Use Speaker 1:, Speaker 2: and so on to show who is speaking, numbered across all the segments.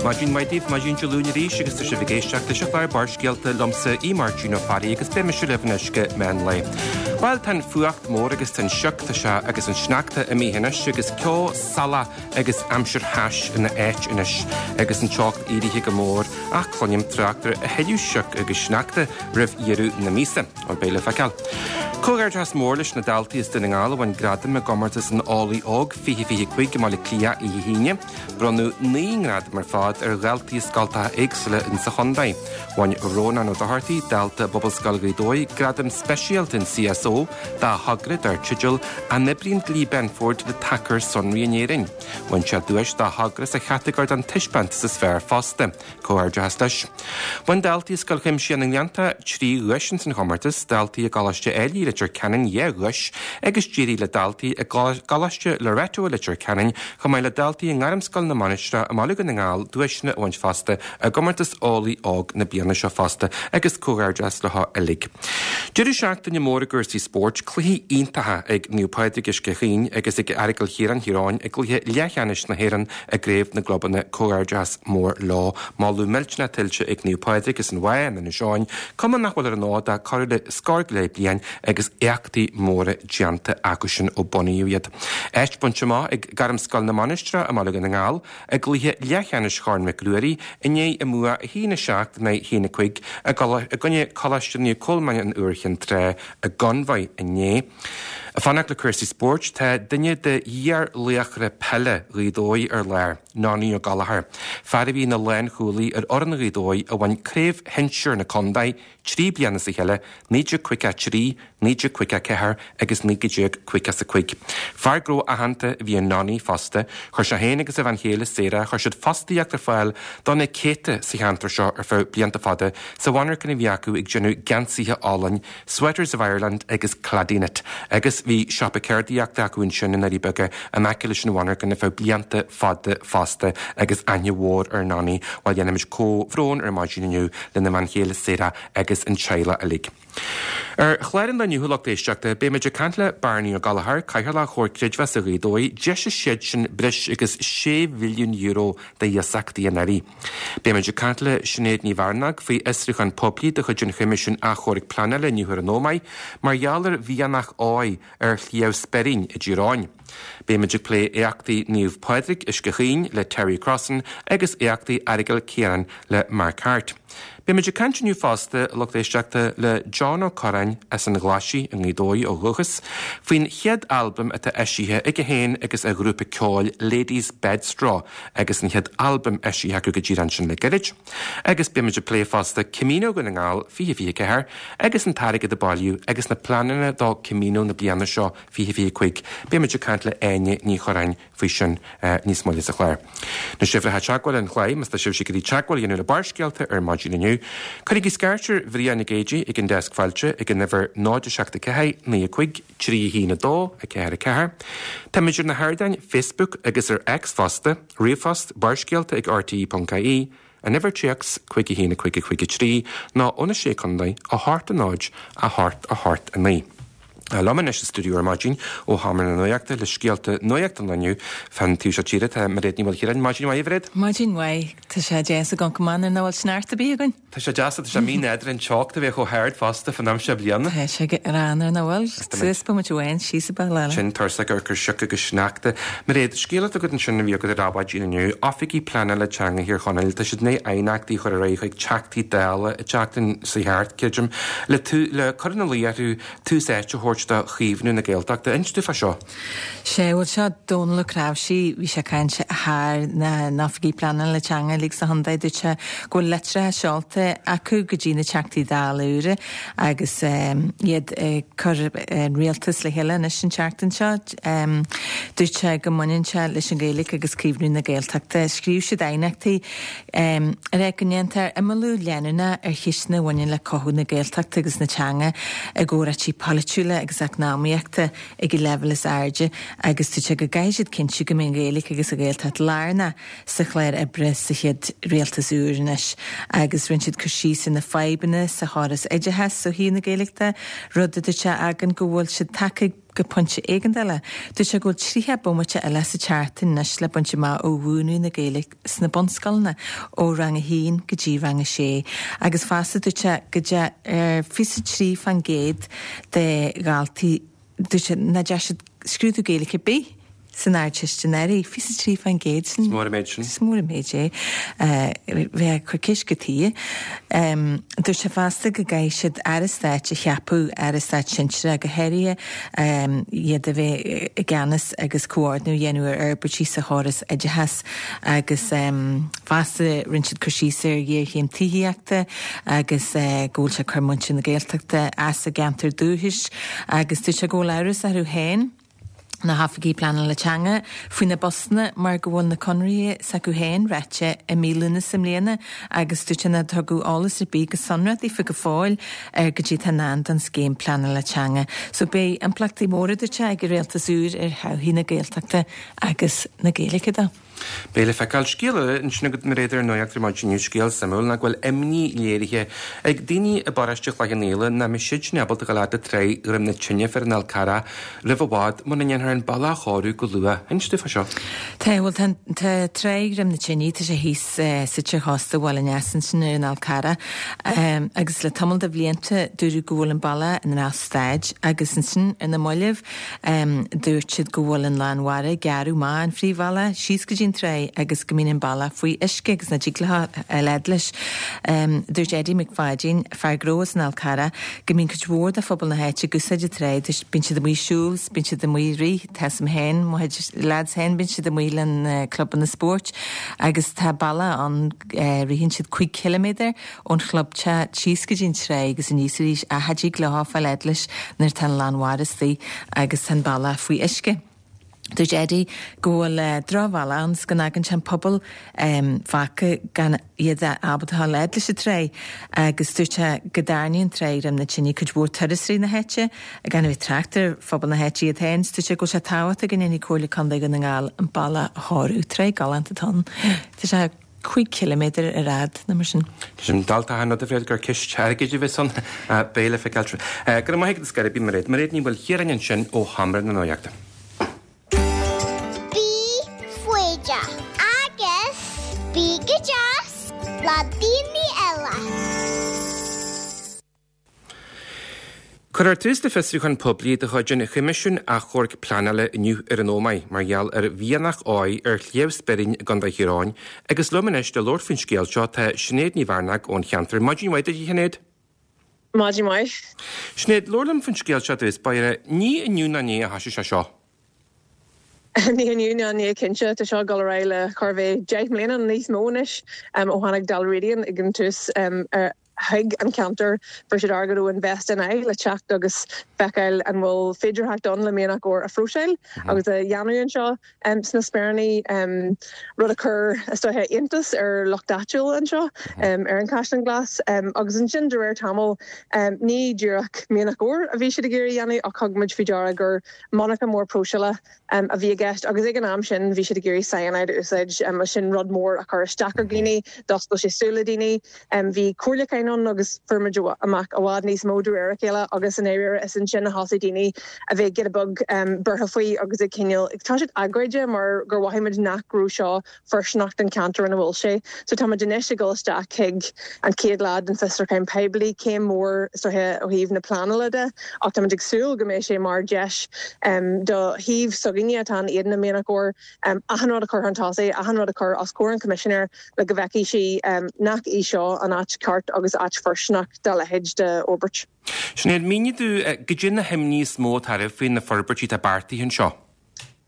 Speaker 1: Maidin mhaith daoibh, maidin Dé Luain arís agus tá sibh ag éisteacht leis an chlár Barrscéalta liomsa, Aodh Máirtín Ó Fearraigh agus beidh mise libh anois go meán lae. Bhuel, tá an fuacht mór agus tá an sioc, tá sé agus an sneachta imithe anois agus ceo salach agus aimsir thais ina áit anois agus an teocht éirithe go mór ach cluinim trácht ar a thuilleadh sioc agus sneachta roimh dheireadh na míosa. Bhuel, beidh le feiceáil. Comhghairdeachas mór leis na daltaí as Dún na nGall a bhain gradam i gcomórtas an Eolaí Óg 2025 i mBaile Átha Cliath oíche hAoine. Bronnadh 9 ngradam ar fad ar dhaltaí i scoltacha éagsúla insa chontae. Bhain Rónán Ó Dochartaigh, dalta i bPobalscoil Ghaoth Dobhair, gradam speisialta an CSO dá thogra dar teideal An oibríonn Dlí Benford le tacair sonraí in Éirinn? Bhain sé duais dá thogra sa chatagóir don taispeántas is fearr fosta. Comhghairdeachas leis. Bhain daltaí i Scoil Chuimsitheach na nGleanntach 3 dhuais ins an chomórtas, daltaí i gColáiste Ailigh Leitir Ceanainn 2 dhuais agus d'éirigh le daltaí i gColáiste Loreto i Leitir Ceanainn chomh maith le daltaí i nGairmscoil na Mainistreach i mBaile Dhún na nGall duaiseanna a bhaint fosta i gcomórtas Eolaí Óg na bliana seo fosta agus comhghairdeachas leo uilig. Deireadh seachtaine mór i gcúrsaí spóirt, cluichí iontacha ag Naomh Pádraig Uisce Chaoin agus ag Aireagal Chiaráin Thír Eoghain i gcluiche leathcheannais na hÉireann i gCraobh na gClubanna. Comhghairdeachas mór leo. Moladh millteanach tuillte ag Naomh Pádraig as an Mhaigh in Inis Eoghain, cumann nach bhfuil ar an fhód ach corradh le scór go leith bliain agus éachtaí móra déanta acusan ó bunaíodh iad. Áit bainte amach ag Gairmscoil na Mainistreach i mBaile Dhún na nGall i gcluiche leathcheannais Chorn Mhic Ruairí i ndiaidh a mbua 1-7 in aghaidh 1-5 i gcoinne Coláiste Naomh Colmáin an Iúir Chinn Trá i gConmhaigh inné. Ag fanacht le cúrsaí spóirt, tá duine de iar-laochra peile Ghaoth Dobhair ar lár, Nonny Ó Gallchóir, fear a bhí ina lánchúlaí ar fhoireann Ghaoth Dobhair a bhain craobh shinsir na contae 3 bliana as a chéile, 1953, 1954 agus 1955. Fear gnó aitheanta a bhí in Nonny fosta. Chuir sé féin agus a bhean chéile Sarah, chuir siad fostaíocht ar fáil do na céadta sa cheantar seo ar feadh blianta fada sa mhonarcha a bhí acu ag déanamh geansaithe álainn Sweaters of Ireland agus Claddyknit agus bhí siopa ceardaíochta acu ansin i nDoirí Beaga in aice leis an mhonarcha ar feadh blianta fada fosta agus aithne mhór ar Nonny. Bhuel déanaimid comhbhrón ar maidin inniu lena bhean chéile Sarah agus an teaghlach uilig. Ar chlár an lae inniu a lucht éisteachta, beimid ag caint le Barney Ó Gallchóir, Cathaoirleach Chomhar Creidmheasa Ghaoth Dobhair, d'eisigh siadsan breis agus €6 bhilliún d'iasachtaí anuraidh. Beimid ag caint le Sinéad Ní Mhearnóg faoi fhiosrúchán poiblí de chuid an Choimisiúin Achomhairc Pleanála inniu ar an Ómaigh mar gheall ar mhianach óir ar Shliabh Speirín i dTír Eoghain. Beimid ag plé éachtaí Naomh Pádraig, Uisce Chaoin le Terry Crossan agus éachtaí Aireagal Ciaráin le Mark Harte. Beimid ag caint inniu fosta, a lucht éisteachta, le John Ó Corráin as an Ghlaisigh i nGaoth Dobhair ó dhúchas, faoin chéad albam atá eisithe aige féin agus a ghrúpa ceoil Ladies Bedstraw agus an chéad albam eisithe acu go díreach ansin le gairid. Agus beimid ag plé fosta Camino Dhún na nGall 2024 agus an t-airgead a bailíodh agus na pleananna do Camino na bliana seo 2025. Beimid ag caint le Áine Ní Churráin faoi sin níos moille sa chlár. Na huimhreacha teagmhála an chláir, más tá sibhse ag iarraidh teagmháil a dhéanamh le Barrscéalta ar maidin inniu, cuirigí scairt ar Bhrian Nic Géidigh ag an Deasc Fáilte ag an uimhir 0 7 4 9 5 3 1 2 4 4. Táimid ar na hardáin Facebook agus ar X fosta, ríomhphost, barrscéalta ag rte.ie, An uimhir téacs, 5 1 5 5 3, nó ó na Sé Contae, 8 0 8 8 9. Liom anois sa stiúideo ar maidin ó Sheomra na Nuachta le scéalta nuachta an lae inniu fán taobh seo tíre tá Mairéad Ní Mhaoilchiaráin. Maidin mhaith, a Mhairéad.
Speaker 2: Maidin mhaith. Tá sé deas ag amharc amach nuair nach bhfuil sneachta ar bith againn.
Speaker 1: Tá sé deas, tá sé mí-nádúrtha an teocht a bheith chomh hard fosta fán am seo bliana.
Speaker 2: Tá sé greannmhar nach bhfuil. Suas bomaite amháin, síos an bealach eile.
Speaker 1: Tinn tuirseach ar chur sioc agus sneachta. Mairéad, scéal atá agat ansin a bhí agat ar maidin inniu, Oifigigh Pleanála Teanga Thír Chonaill, tá siad i ndiaidh aighneachtaí a chur ar aghaidh chuig Teachtaí Dála an tseachtain seo thart, creidim, le le cur ina luí orthu tús áite a thabhairt do chaomhnú na Gaeltachta. Inis domh fá seo.
Speaker 2: Sea, bhuel seo Dónal Ó Cnáimhsí, bhí sé ag caint thar na n-oifigigh pleanála teanga uilig sa chontae, dúirt sé go bhfuil litreacha seolta acu go dtí na Teachtaí Dála úra agus iad ag cur an rialtas le chéile anois an tseachtain seo. Dúirt sé go mbaineann sé leis an Ghaeilge agus caomhnú na Gaeltachta. Scríobh siad aighneachtaí ag rá go ndéantar imeallú leanúnach ar cheisteanna a bhaineann le cothú na Gaeltachta agus na teanga i gcomhráití polaitiúla agus eacnamaíochta ag an leibhéal is airde agus dúirt sé go gcaithfidh siad cinntiú go mbeidh an Ghaeilge agus an Ghaeltacht lárnach sa chlár oibre sa chéad rialtas úr anois agus rinne siad cur síos ar na fadhbanna sa chóras oideachais ó thaobh na Gaeilge de, rud a dúirt sé a fhágann go bhfuil siad tagtha ag. go pointe éigeandála. Dúirt sé go bhfuil 30 bomaite eile sa tseachtain anois le baint amach ó mhúineadh na Gaeilge sna bunscoileanna ó rang a haon go dtí rang a sé agus fosta dúirt sé go dté 23% de dhaltaí dúirt sé nach ndeachaigh siad scrúdú Gaeilge ar bith san Ardteist anuraidh, 23%
Speaker 1: sin. Is mór an méid sin.
Speaker 2: Is mór an méid é. Bheifeá ag cur ceist go tuighe. Dúirt sé fosta go gcaithfidh siad Aire Stáit a cheapadh, Aire Stáit sinsearach go háirithe, iad a bheith i gceannas agus comhordnú a dhéanamh ar fhorbairtí sa chóras oideachais agus fosta rinne siad cur síos ar ghéarchéim tithíochta agus go bhfuil sé ag cur muintir na Gaeltachta as a gceantar dúchais agus dúirt sé go bhfuil amhras orthu féin na hoifigigh pleanála teanga, faoi na postanna mar go bhfuil na conarthaí s'acu féin ráite i mí Lúnasa i mbliana agus dúirt sé nár tugadh eolas ar bith go sonrach daofa go fóill ar goidé atá i ndán don scéim pleanála teanga. So beidh impleachtaí móra dúirt sé ag an rialtas úr ar thodhchaí na Gaeltachta agus na Gaeilge de.
Speaker 1: Beidh le feiceáil. Scéal eile ansin agat, Mairéad, ar an nuacht ar maidin inniu, scéal suimiúil, ná go bhfuil imní léirithe ag daoine i bparóiste Chloich Cheann Fhaola nach mbeidh siadsan ábalta dul fhad le Tráigh Dhroim na Tine fé ar an Fhál Carrach roimh i bhfad muna ndéanfar an bealach a chóiriú go luath. Inis dúinn fá seo.
Speaker 2: Tá, bhuel tá, tá Tráigh Dhroim na Tine, tá sé thíos suite ar chósta Bhaile an Easa ansin ar an Fhál Carrach agus le tamall de bhlianta dúradh go bhfuil an bealach i ndrochstaid agus ansin ar na mallaibh Dúirt siad go bhfuil an lán mhara ag gearradh amach an phríomhbhealach síos go dtí an tráigh agus go mbíonn an bealach faoi uisce agus nach dtig leo a fhad leis. Dúirt Eddie Mac Pháidín, fear gnó as an Fhál Carrach, go mbíonn cuid mhór de phobal na háite ag úsáid an tráigh, bíonn siad amuigh ag siúl, bíonn siad amuigh ag rith, tá 'fhios a'm féin, mo chuid lads féin, bíonn siad amuigh le na clubanna spóirt agus tá bealach ann, ritheann siad 5 chiliméadar ón chlubteach síos go dtí an tráigh agus aníos arís ach cha dtig leo fáil fhad leis nuair atá an lán mhara istigh agus tá an bealach faoi uisce. Dúirt Eddie go bhfuil drochbhealach ann 's go bhfágann sé an pobal fágtha gan iad ábalta a ghabháil fhad leis an tráigh agus dúirt sé go dtarraingíonn an tráigh Dhroim na Tine cuid mhór turasóirí na háite gan a bheith ag trácht ar phobal na háite iad féin. Dúirt sé go bhfuil sé tábhachtach go ndéanfaidh Comhairle Contae Dhún na nGall an bealach a chóiriú. Tráigh galánta atá ann. Tá sé. 5 chiliméadar ar fhad nó mar sin.
Speaker 1: Sin dalta an rud a bhréid gur ceist airgid a bheas ann. Beidh le feiceáil. Go raibh maith agat ar scor ar bith, Mairéad. Mairéad Ní Mhaoilchiaráin ansin ó Sheomra na Nuachta.
Speaker 3: Bí foighdeach agus bí go deas le daoine eile.
Speaker 1: Cuirfear tús le fiosrúchán poiblí de chuid an Choimisiúin Achomhairc Pleanála inniu ar an Ómaigh mar gheall ar mhianach óir ar Shliabh Speirín i gContae Thír Eoghain agus liom anois le labhairt faoin scéal seo tá Sinéad Ní Mhearnág ón cheantar. Maidin mhaith duit a Shinéad.
Speaker 4: Maidin mhaith.
Speaker 1: Sinéad, labhair liom faoin scéal seo i dtús báire. Ní inniu ná inné a thoisigh sé seo.
Speaker 4: Ní inniu ná inné cinnte. Tá seo ag dul ar aghaidh le chóir a bheith 10 mbliana nó níos mó anois ó tháinig Dalradian ag an tús ar chuig an cheantar. Fuair siad airgead ó Invest NI le teacht agus feiceáil an bhfuil féidearthacht ann le mianach óir a phróiseáil agus a dhéanamh anseo sna Speiríní, rud a chuir, is dóiche, iontas ar lucht áitiúil anseo ar an Chaisleán Glas. Agus ansin de réir tamaill, ní díreach mianach óir a bhí siad ag iarraidh a dhéanamh ach thug muid faoi deara gur monarcha mór próiseála a bhí i gceist agus ag an am sin bhí siad ag iarraidh cyanide a úsáid agus sin rud mór a chuir isteach ar dhaoine, d'oscail sé súile daoine. Bhí comhairliúcháin ann agus fuair muid amach i bhfad níos mó de réir a chéile agus i ndáiríre is ansin a thosaigh daoine a bheith giota beag buartha faoi agus ag cineál ag toiseacht agóide mar gur mhothaigh muid nach raibh seo fóirsteanach don cheantar ina bhfuil sé. So tá muid anois ag dul isteach chuig an chéad lá den fiosrúchán poiblí, céim mhór is dóiche ó thaobh na pleanála de ach tá muid ag súil go mbeidh sé mar dheis do thaobh s'againne atá in éadan na mianach óir achan rud a chur chun tosaigh, achan rud a chur os comhair an Choimisinéir le go bhfeicfidh sí nach í seo an áit cheart agus áit fóirsteanach dá leithéid de fhorbairt.
Speaker 1: Sinéad, mínigh domh goidé na himní is mó atá oraibh faoi na forbairtí atá beartaithe anseo.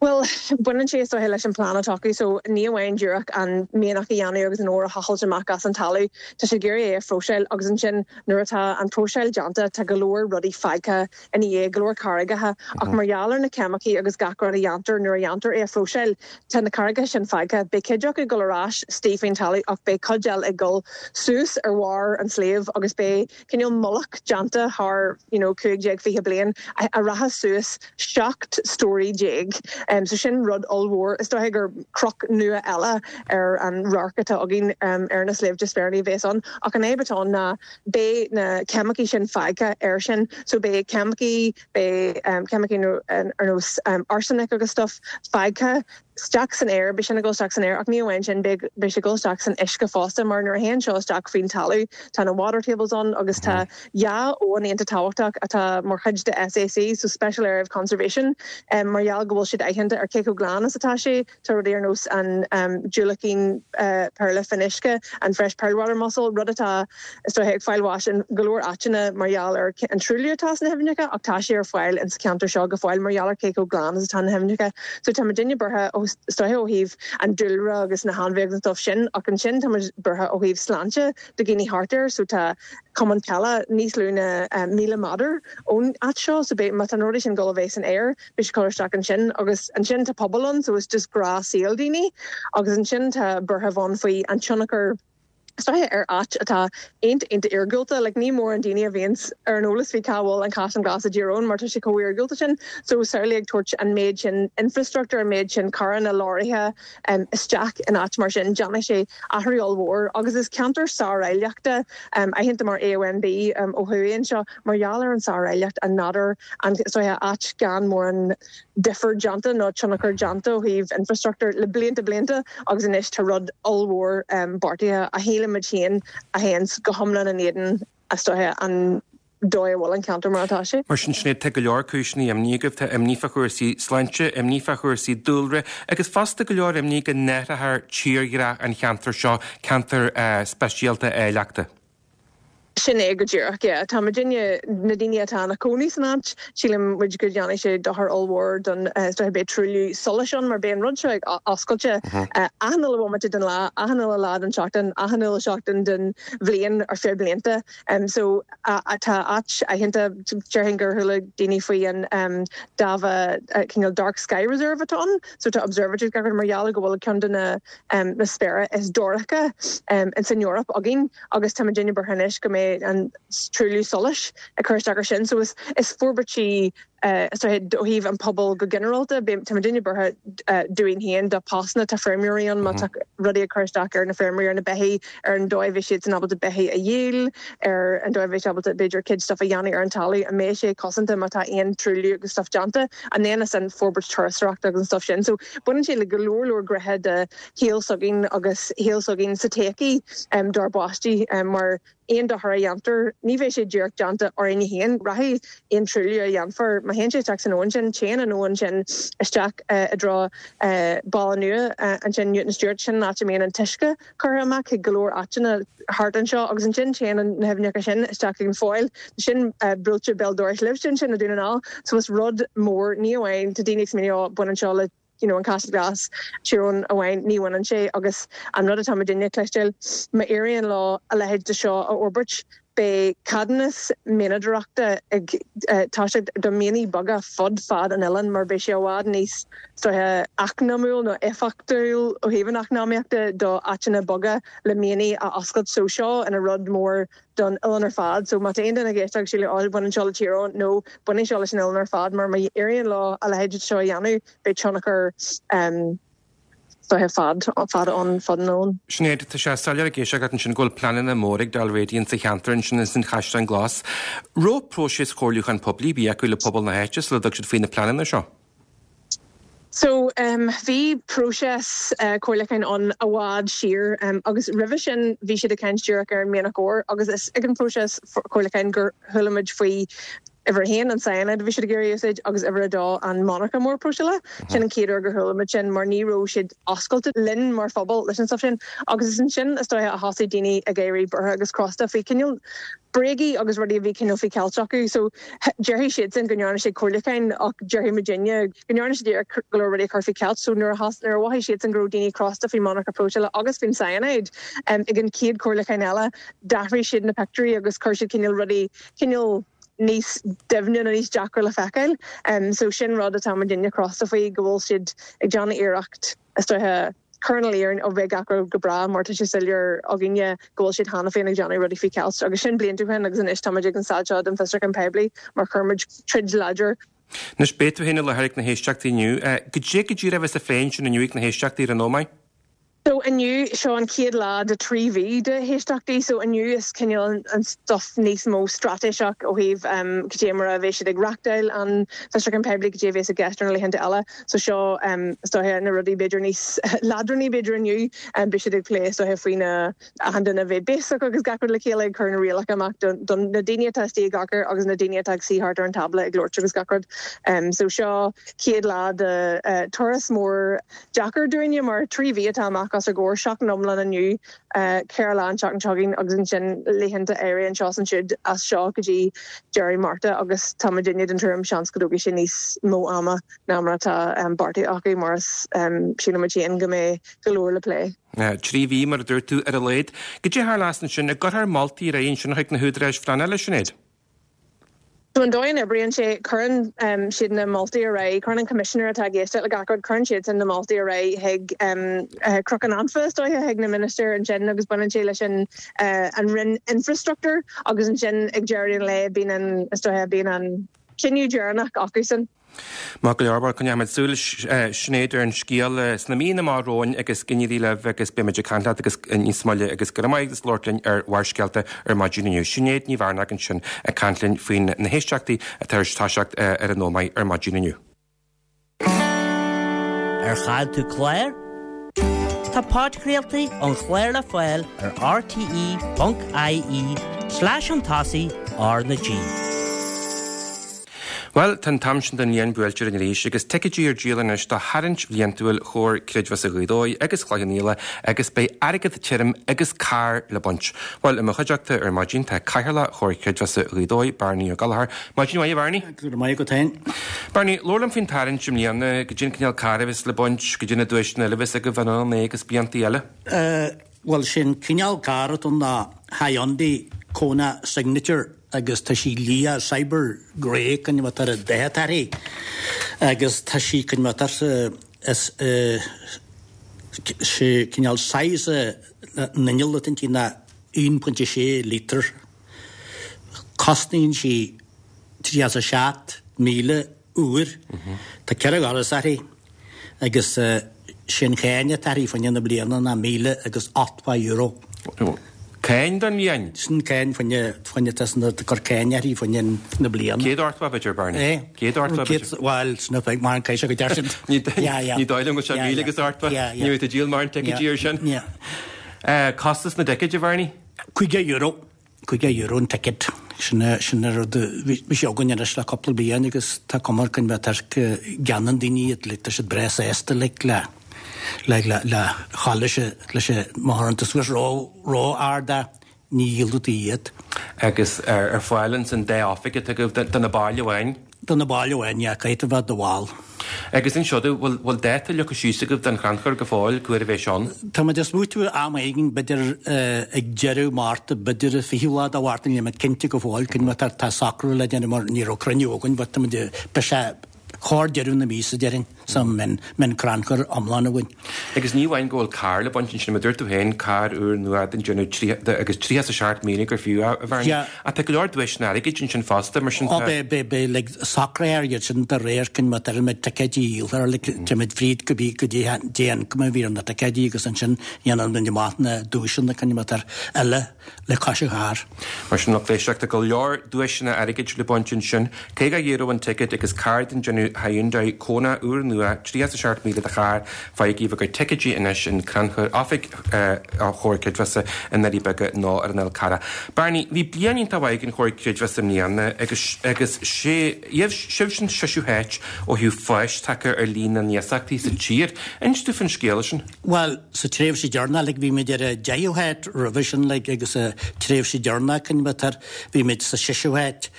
Speaker 4: Bhuel, baineann sé is dóiche leis an plean atá acu so ní amháin díreach an mianach a dhéanamh agus an ór a thochailt amach as an talamh, tá siad ag iarraidh é a phróiseáil agus ansin nuair atá an próiseáil déanta tá go leor rudaí fágtha ina dhiaidh, go leor carraigeacha ach mar gheall ar na ceimicí agus gach rud a dhéantar nuair a dhéantar é a phróiseáil tá na carraigeacha sin fágtha. Beidh cuid acu ag dul ar ais istigh faoin talamh ach beidh cuid eile ag dul suas ar bharr an tsléibh agus beidh cineál mullach déanta thar you know 15, 20 bliain a rachas suas 17 stóraí. So sin rud ollmhór. Is dóiche gur cnoc nua eile ar an radharc atá againn ar na Sléibhte Spéirlí a bheas ann. Ach an fhadhb atá ann ná beidh na ceimicí sin fágtha air sin. So beidh ceimicí, beidh ceimicí ar nós arsenic agus stuff fágtha isteach san aer, beidh sin ag dul isteach san aer ach ní amháin sin, beidh sé ag dul isteach san uisce fosta mar nuair a théann seo isteach faoin talamh tá na water tables ann agus tá dhá abhainn iontach tábhachtach atá mar chuid de SAC, so Special Area of Conservation, mar gheall go bhfuil siad aitheanta ar cé chomh glan is atá sé. Tá rudaí ar nós an diúilicín péarla fionnuisce, an fresh pearl water mussel, rud atá, is dóiche, ag fáil bháis in go leor áiteanna mar gheall ar an truailliú atá sna haibhneacha ach tá sé ar fáil insa cheantar seo go fóill mar gheall ar cé chomh glan is atá na haibhneacha. So tá muidinne buartha, is dóiche, ó thaobh an dúlra agus na hainmhithe agus an stuff sin ach ansin tá muid buartha ó thaobh sláinte do dhaoine thart air. So tá cumann peile níos lú ná 1,000 méadar ón áit seo so beidh, má tá na rudaí sin ag dul a bheith san aer, beidh sé ag cur isteach ansin agus ansin tá pobal ann so it's just gnáthshaol daoine agus ansin tá buartha ann faoi an tionchar is dóiche ar áit atá iontach iontach iargúlta like ní mórán daoine a bhíonns ar an eolas faoi cá bhfuil an Caisleán Glas i dTír Eoghain mar tá sé chomh iargúlta sin so samhlaigh ag tabhairt an méid sin infrastructure an méid sin carranna leoraithe um, isteach in áit mar sin déanfaidh sé athrú ollmhór agus is ceantar sáráilleachta um, aitheanta mar AONB um, ó thuaidh anseo Mar gheall ar an sáráilleacht, an nádúr, an, is dóiche, áit gan mórán difear déanta nó tionchar déanta ó thaobh infrastruchtúr le blianta blianta agus anois tá rud ollmhór beartaithe a shílimid féin a théann go hiomlán in éadan, is dóiche, an dóigh a bhfuil an ceantar mar atá sé.
Speaker 1: Mar sin, Sinéad, tá go leor cúiseanna imní agaibh. Tá imní fá chúrsaí sláinte, imní fá chúrsaí dúlra agus fosta go leor imní go n-athrófar tírdhreach an cheantair seo, ceantar speisialta áilleachta.
Speaker 4: Sin é go díreach, yeah. Tá muidinne, na daoine atá ina cónaí san áit, sílim muid go dhéanfaidh sé dochar ollmhór don, is dóiche beidh truailliú solais ann mar beidh an rud seo ag oscailte achan uile bhomaite den lá, achan uile lá den tseachtain, achan uile seachtain den bhliain ar feadh blianta. So tá áit aitheanta, déarfainn gur chuala daoine faoi an Dámha cineál Dark Sky Reserve atá ann, so tá observatories gach rud mar gheall go bhfuil ceann de na na spéire is dorcha ins an Eoraip againn. agus tá muidinne buartha anois go mbeidh an truailliú solais ag cur isteach ar sin. So is is forbairtí is dóiche ó thaobh an pobail go ginearálta, tá muidinne buartha dúinn féin, do postanna, tá feirmeoirí ann, má tá rudaí ag cur isteach ar na feirmeoirí, ar na beithígh, ar an dóigh a bheidh siadsan ábalta beithígh a dhíol, ar an dóigh a bheidh siad ábalta b'fhéidir cuid stuff a dhéanamh ar an talamh, an mbeidh sé cosanta má tá aon truailliú agus stuff déanta, and then is an forbairt turasóireachta agus an stuff sin. So baineann sé le go leor leor gnéithe de shaol s'againn agus shaol s'againn sa todhchaí dár bpáistí mar aon dochar a dhéantar, ní bheidh sé díreach déanta orainne féin. Rachaidh aon truailliú a dhéanfar, má théann sé isteach san abhainn sin, téann an abhainn sin isteach i dtreo Baile Nua ansin, Newton Stewart, sin an áit a mbíonn an t-uisce curtha amach chuig go leor áiteanna thart anseo agus ansin téann na haibhneacha sin isteach chuig an Pholl, sin buailte béal dorais libhse ansin i Dún na nGall. So is rud mór, ní amháin, tá daoine ag smaoineamh, oh baineann seo le you know, an Caisleán Glas, Tír Eoghain amháin, ní bhaineann sé agus an rud atá muidinne ag cloisteáil, má éiríonn leo a leithéid de seo a fhorbairt, beidh ceadúnas mianadóireachta ag toiseacht do mhianaigh beaga fud fad an oileáin mar beidh sé i bhfad níos is dóiche eacnamúil nó éifeachtúil ó thaobh an eacnamaíochta do áiteanna beaga le mianaigh a oscailt so seo ina rud mór don oileán ar fad. So má tá aon duine ag éisteacht ag síleadh oh baineann seo le Tír Eoghain, no, baineann seo leis an oileán ar fad mar má éiríonn leo a leithéid seo a dhéanamh beidh tionchar is dóiche fad, fada ann fud an oileáin.
Speaker 1: Sinéad, tá sé soiléir ag éisteacht leat ansin go bhfuil pleananna móra ag Dalradian sa cheantar ansin ins an Chaisleán Glas. Raibh próiseas chomhairliúcháin poiblí ar bith acu le pobal na háite sula dtug siad faoi na pleananna seo?
Speaker 4: So bhí próiseas comhairliúcháin ann i bhfad siar agus roimhe sin bhí siad ag caint díreach ar an mianach óir agus is ag an phróiseas comhairliúcháin gur chuala muid faoi uimhir a haon, an cyanide a bhí siad ag iarraidh a úsáid agus uimhir a dó, an monarcha mór próiseála. Sin an chéad uair gur chuala muid sin mar ní raibh siad oscailte linn mar phobal leis an stuff sin agus is ansin is dóiche a thosaigh daoine ag éirí buartha agus crosta faoi cineál bréagaí agus rudaí a bhí cineál faoi cheilt acu. So déarfaidh siadsan go ndearna siad comhairliúcháin ach déarfaidh muidinne go ndearna siad iarracht go leor rudaí a chur faoi cheilt. So nuair a nuair a mhothaigh siadsan go raibh daoine crosta faoin monarcha próiseála agus faoin cyanide ag an chéad chomhairliúchán eile d'athraigh siad na pictiúirí agus chuir siad cineál rudaí cineál níos doimhne nó níos deacra le feiceáil. So sin rud atá muidinne crosta faoi go bhfuil siad ag déanamh iarracht is dóiche cur ina luí orainn ó bheidh gach rud go breá mar tá sé soiléir againne go bhfuil siad cheana féin ag déanamh rudaí faoi cheilt agus sin blianta ó shin agus anois táimid ag an staid seo den fiosrúchán poiblí mar chuir muid troid láidir.
Speaker 1: Anois, beidh tú féin i láthair ag na héisteachtaí inniu. Goidé go díreach a bheas á phlé ansin inniu ag na héisteachtaí ar an Ómaigh?
Speaker 4: So inniu, seo an chéad lá de 3 mhí de héisteachtaí, so inniu is cineál an stuff níos mó straitéiseach ó thaobh cad é mar a bheidh siad ag reachtáil an fiosrúchán poiblí, cad é a bheas i gceist ar na laethanta eile. So seo is dóiche na rudaí b'fhéidir níos leadránaí b'fhéidir inniu. Beidh siad ag plé is dóiche faoi na achan duine a bheith béasach agus gach rud le chéile ag cur na rialacha amach do na daoine atá istigh i gcarcair agus na daoine atá ag suí thart ar an tábla ag labhairt agus gach rud. So seo chéad lá de turas mór deacair dúinne mar 3 mhí atá amach os ár gcomhair, seachtain iomlán inniu, 4 lá an tseachtain seo chugainn agus ansin laethanta áirithe anseo is ansiúd as seo go dtí deireadh Márta agus tá muidinne den tuairim seans go dtógfaidh sé níos mó ama ná mar atá beartaithe acu mar is sílimid féin go mbeidh go leor le plé.
Speaker 1: 3 mhí, mar a dúirt tú, ar a laghad. Goidé a tharlós ansin, an gcuirfear moltaí ar aghaidh ansin chuig na húdaráis phleanála, Sinéad?
Speaker 4: So an dóigh a n-oibríonn sé, cuireann siad na moltaí ar aghaidh, cuireann an coimisinéir atá ag éisteacht le gach rud, cuireann siadsan na moltaí ar aghaidh chuig Cnoc an Anfa, is dóiche, chuig na ministir ansin agus baineann sé leis an an Roinn Infreastruchtúir agus ansin ag deireadh an lae bíonn an, is dóiche, bíonn an cinneadh deireanach acusan.
Speaker 1: Maith go leor, bhuel, coinneoidh muid súil, Sinéad, ar an scéal sna míonna amach romhainn agus go n-éirí libh agus beidh muid ag caint leat agus níos moille agus go raibh maith agat as labhairt linn ar Bharrscéalta ar maidin inniu. Sinéad Ní Mhearnáin ansin ag caint linn faoin na héisteachtaí atá ar toiseacht ar an Ómaigh ar maidin inniu.
Speaker 5: Ar chaill tú clár? Tá podchraoltaí an chláir le fáil ar rte.ie slash chun tosaigh R na G.
Speaker 1: Bhuel, tá an t-am sin den bhliain buailte orainn arís agus ticéidí ar díol anois do tharraingt bhliantúil Chomhar Creidmheasa Ghaoth Dobhair agus Chloich Cheann Fhaola agus beidh airgead tirim agus carr le baint. Bhuel, i mo chuideachta ar maidin tá Cathaoirleach Chomhar Creidmheasa Ghaoth Dobhair, Bearnaí Ó Gallchóir. Maidin mhaith, a Bhearnaí.
Speaker 6: Go raibh maith agat féin.
Speaker 1: Bearnaí, labhair liom faoin tarraingt i mbliana, goidé an cineál carr a bheas le baint, goidé na duaiseanna eile a bheas agaibh anuraidh agus blianta eile.
Speaker 6: Bhuel, sé'n cineál carr atá ann ná Hyundai Kona Signature agus tá sí liath, cyber grey cineál atá ar an dath atá uirthi agus tá sí cineál atá is sé cineál size an inneall atá inti ná 1.6 litre. Cosnaíonn sí 37,000 úr. Tá 4 dhoras uirthi agus sé an cháin atá uirthi fá choinne na bliana ná €1,080.
Speaker 1: Cáin don bhliain?
Speaker 6: Sin cáin fá choinne, fá choinne tá san ag cur cáin uirthi fá choinne na bliana.
Speaker 1: 180 b'fhéidir, Bernie?
Speaker 6: Eh?
Speaker 1: 180 b'fhéidir?
Speaker 6: Bhuel, sin a bheidh mar an caithfidh sé go deir siad.
Speaker 1: Ní dóigh liom go bhfuil sé 1,080. Ní bheidh tú ag díol mórán ticéidí ar sin. Costas na dticéid, a Bhernie?
Speaker 6: €50. €50 an ticket. Sin é, sin é rud a bhí sé againn anois le cúpla bliain agus tá cuma ar go bhfuil go gceannaíonn daoine iad, like, tá siad breá sásta like le, le, le, le dhul leis an, leis an, má chuireann tú suas ró, ró-ard é, ní dhíolfaidh tú iad.
Speaker 1: Agus ar, ar fáil ins an dá oifig atá agaibh do, do na baill amháin?
Speaker 6: Do na baill amháin, yeah, caithfidh tú bheith i do bhall.
Speaker 1: Agus inis domh, bhfuil, bhfuil dáta leagtha síos agaibh don chrannchur go fóill, cá huair a bheidh sé ann?
Speaker 6: Tá muid ag smaoitiú am éigin, b'fhéidir ag deireadh Márta, b'fhéidir an 20ú lá de Mhárta, níl muid cinnte go fóill, cén mar tá socrú le déanamh mar ní raibh cruinniú againn, but tá muid, beidh sé chóir deireadh na míosa déarfainn, so mbeidh an crannchur iomlán againn.
Speaker 1: Agus ní amháin go bhfuil carr le baint ansin, mar a dúirt tú féin, carr úr nua den déanamh agus 37,000 gur fiú é, a Bhearnaí. Ach tá go leor duaiseanna airgid ansin fosta, mar sin
Speaker 6: tá. Ó beidh, beidh, beidh, like, socraithe iad sin de réir cén mar a mbeidh ticéidí dhíolta, like, téimid fríd go bí go dtí an cuma a bhí ar na ticéidí agus ansin dhéanann muid amach na duaiseanna cén mar atá eile le cois an chairr.
Speaker 1: Mar sin, lucht éisteachta, go leor duaiseanna airgid le baint ansin. €50 an ticéad agus carr den déanamh Hyundai Kona úr nua, 37,000 do charr. Faighigí bhur gcuid ticéidí anois in Crannchur Oifig Chomhar Creidmheasa i nDoirí Beaga nó ar an Fhál Carrach. Barney, bhí bliain iontach mhaith ag an Chomhar Creidmheasa i mbliana agus agus sibh san seisiú háit ó thaobh fáis tagtha ar líon na n-iasachtaí sa tír. Inis domh faoin scéal sin.
Speaker 6: Bhuel, sa tréimhse deireanach, like, bhí muid ar an deichiú háit roimhe sin, like, agus sa tréimhse deireanach, cén mar atá, bhí muid sa seisiú háit.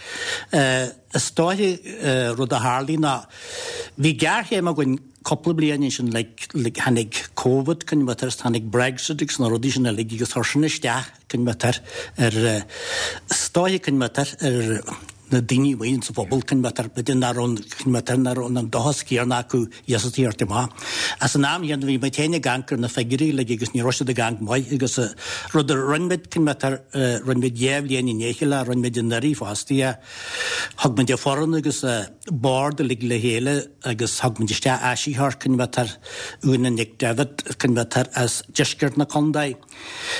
Speaker 6: Is dóiche, rud a tharlaigh ná, bhí géarchéim againn cúpla bliain ansin, like, like, tháinig Covid, cén mar atá, is tháinig Brexit agus na rudaí sin uilig agus chuir sin isteach, cén mar atá, ar, is dóiche, cén mar atá, ar. na daoine amuigh insa phobal, cineál b'fhéidir nach raibh, cineál nach raibh an dóchas céanna acu iasachtaí a thabhairt amach. Ach san am chéanna bhí muid féin ag amharc ar na figiúirí uilig agus ní raibh siad ag amharc maith agus rud a rinne muid, cineál rinne muid dhá bhliain i ndiaidh a chéile, rinne muid anuraidh fosta, thug muid an foireann agus bord uilig le chéile agus thug muid isteach áisitheoir, cineál Úna Nic Devitt, cineál as deisceart na contae.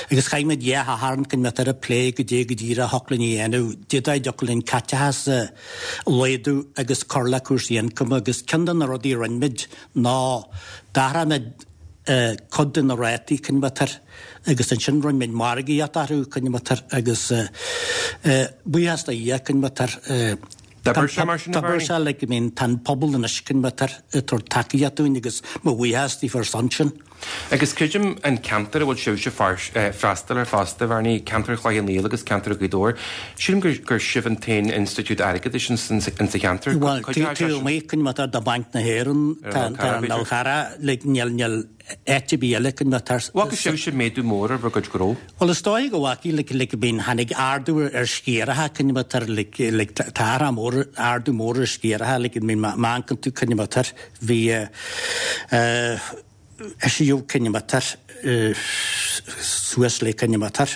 Speaker 6: Agus chaith muid dhá Shatharn cineál ag plé goidé go díreach a thiocfadh linn a dhéanamh, goidé a dtiocfadh linn caiteachas a laghdú agus cur le cúrsaí ioncaim agus ceann de na rudaí a rinne muid ná d'athraigh muid cuid de na rátaí cineál agus ansin rinne muid margaíocht orthu cineál agus buíochas do Dhia cineál
Speaker 1: D'oibir sé mar sin, a
Speaker 6: D'oibir
Speaker 1: Bhernie?
Speaker 6: sé like I mean tá an pobal anois cineál ag tabhairt tacaíocht dúinn agus mo bhuíochas daofa ar son sin.
Speaker 1: Agus creidim an ceantar a bhfuil sibhse freastal air fosta, a Bhernie, ceantar Chloich Cheann Fhaola agus ceantar Ghaoth Dobhair, sílim gur sibh an t-aon institiúid airgeadais insa cheantar.
Speaker 6: Bhuel, taobh amuigh cineál de Bhanc na hÉireann, tá an Fhál Carrach, like níl, níl áit ar bith eile cineál
Speaker 1: tar. Bhfaca sibhse méadú mór ar bhur gcuid gnó?
Speaker 6: Bhuel is dóigh go bhfacaigh like like I mean tháinig ardú ar sciaracha cineál tar like like tá athrá mór ardú mór ar sciaracha like I mean má amharcann tú cineál tar bhí eh eh eisíodh cineál tar eh suas le cineál tar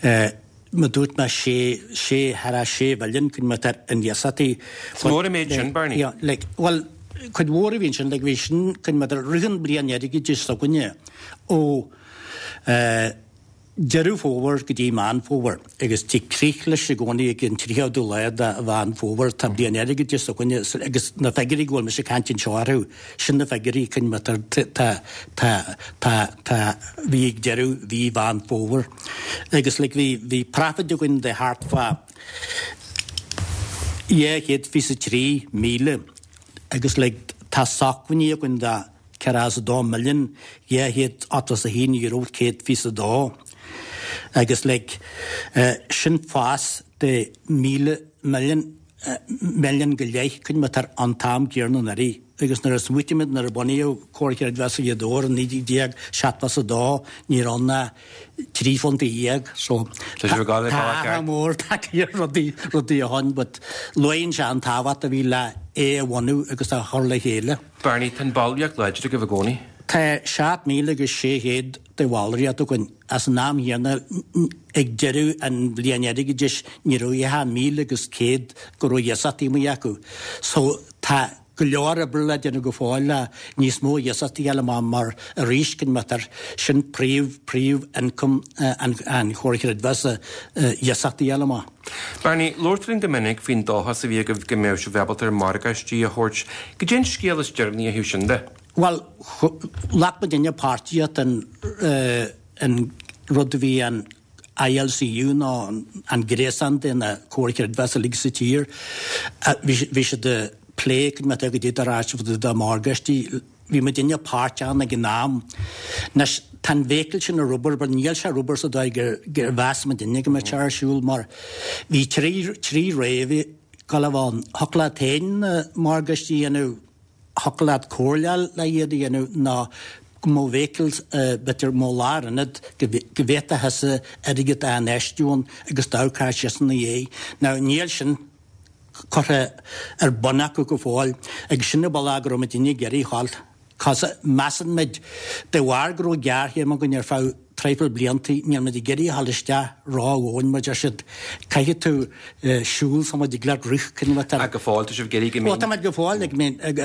Speaker 6: eh Mar dúirt mé sé, sé, thar a sé mhilliún cineál tar in iasachtaí.
Speaker 1: Is mór an méid sin, Bernie.
Speaker 6: Yeah, like, bhuel, cuid mhór a bhí ansin, like, bhí sin cineál tar rith an bliain airgeadais s'againne ó eh, Deireadh Fómhair go dtí Meán Fómhair agus tig crích leis i gcónaí ag an 30ú lá de Mheán Fómhair. Tá bliain airgeadais s'againne agus na figiúirí go bhfuil mise ag caint anseo orthu, sin na figiúirí cineál tar, tá, tá, tá, tá, bhí ag deireadh mhí Mheán Fómhair. Agus like bhí, bhí profit againn de thart fá 223,000 agus like tá sócmhainní againn de €42,281,122 agus like sin fás de 1,000 milliún, milliún go leith cineál tar an t-am céanna anuraidh. Agus nuair a smaoitímid nuair a bunaíodh Comhar Creidmheasa Ghaoth Dobhair i 1972 ní raibh ann ach £13 so
Speaker 1: Tá sibh ag gabháil
Speaker 6: tá athrá mór tagtha ar rudaí, rudaí ó shin but luíonn sé an tábhacht a bhí le é a bhunú agus a chur le chéile.
Speaker 1: Bernie, tá an ballraíocht láidir agaibh i gcónaí.
Speaker 6: Tá 7,600 de bhallraíocht againn ach san am chéanna ag deireadh an bhliain airgeadais ní raibh ach 1,100 go raibh iasachtaí amuigh acu so tá go leor oibre le déanamh go fóill le níos mó iasachtaí a fháil amach mar arís cineál tar sin príomh príomh ioncam an an Chomhair Chreidmheasa iasachtaí a fháil amach.
Speaker 1: Bernie, labhair tú linn go minic faoin dóchas a bhí agaibh go mbeadh sibh ábalta ar morgáistí a thabhairt. Goidé an scéal is deireanaí ó thaobh sin de?
Speaker 6: Bhuel, ghlac muidinne páirtíocht in an rud a bhí an ILCU nó an gréasán de na Comhair Chreidmheasa uilig sa tír. Bhí siad ag plé goidé a rachadh de morgáistí. Bhí muidinne páirteach ann ag an am. Anois, tá an bhéicil sin ar obair, but níl sé ar obair sa dóigh gur mheas muidinne go mbeadh sé ar siúl mar bhí trí rogha ag gabháil a bheith ann. Thiocfadh leat féin na morgáistí a dhéanamh, thiocfadh leat comhairle a fháil le iad a dhéanamh nó go mbeadh bhéicil, b'fhéidir go mbeadh lárionad go bhféadfá thusa airgead a infheistiú ann agus d'amharcfá síos ina dhiaidh. Now níl sin curtha ar bun acu go fóill agus sin an bealach go raibh muidinne ag iarraidh a ghabháil. Cos measann muid, de bharr go raibh géarchéim againn ar feadh traidhfil bliantaí, níl muid ag iarraidh a ghabháil isteach ró-dhomhain, mar deir siad, caithfidh tú siúl sula dtig leat rith, cineál
Speaker 1: tar. Ach go fóill, tá sibh ag iarraidh go
Speaker 6: mbíonn. Bhuel, tá muid go fóill ag,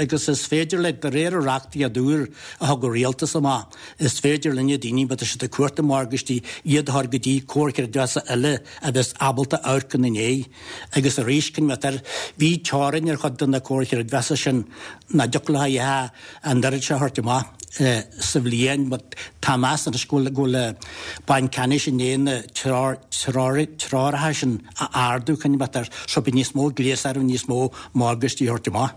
Speaker 6: agus is féidir le, de réir an reachtaíocht úr a thug an rialtas amach, is féidir linne daoine, má tá siad ag cuartú morgáistí, iad a chur go dtí comhar creidmheasa eile a bheas ábalta amharc ina ndiaidh. Agus arís, cineál tar, bhí teorainn ar chuid de na comhair chreidmheasa sin, nach dtiocfadh leo ach an oiread seo a thabhairt amach sa bhliain but tá meas anois go bhfuil go bhfuil Banc Ceannais i ndiaidh na treoracha sin a ardú cineál tar so beidh níos mó gléas orthu níos mó morgáistí a thabhairt amach.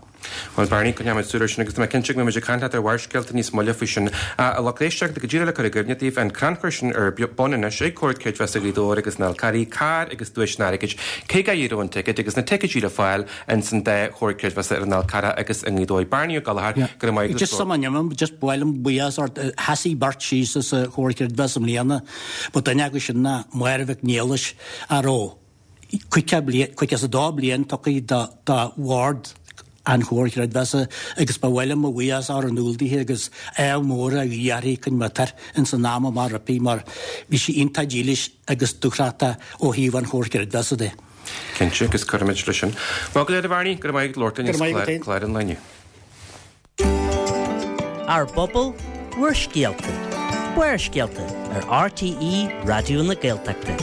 Speaker 1: Bhuel Bernie, coinneoidh muid súil air sin agus tá mé cinnte go mbeidh muid ag caint leat ar Bharrscéalta níos moille faoi sin. A lucht éisteachta, go díreach le cur i gcuimhne daoibh, an crannchur sin ar bun anois ag Comhar Creidmheasa Ghaoth Dobhair agus na Fál Carraigh, carr agus duaiseanna airgid, €50 an ticéad agus na ticéidí le fáil ins an dá Chomhar Creidmheasa ar an Fhál Carrach agus i nGaoth Dobhair. Bernie Ó Gallchóir, go raibh maith agat.
Speaker 6: Just sula n-imím, just ba mhaith liom buíochas a thabhairt, sheasaigh beirt síos as an Chomhar Creidmheasa i mbliana, ba duine acu sin ná Máire Mhic Niallais a raibh. 52 bliain tugtha do bhord an Chomhair Chreidmheasa agus ba mhaith liom mo bhuíochas a chur in iúl dithe agus ádh mór a ghuí uirthi chun matar ins an am amach roimpi mar bhí sí iontach dílis agus dúthrachtach ó thaobh an Chomhair Chreidmheasa de.
Speaker 1: Cinnte, agus cuirfimid leis sin. Maith go leor a Bharney, go raibh maith agat labhairt linn as clár an lae inniu.
Speaker 5: Ár bpobal, bhur scéalta. Barrscéalta ar RTÉ Raidió na Gaeltachta.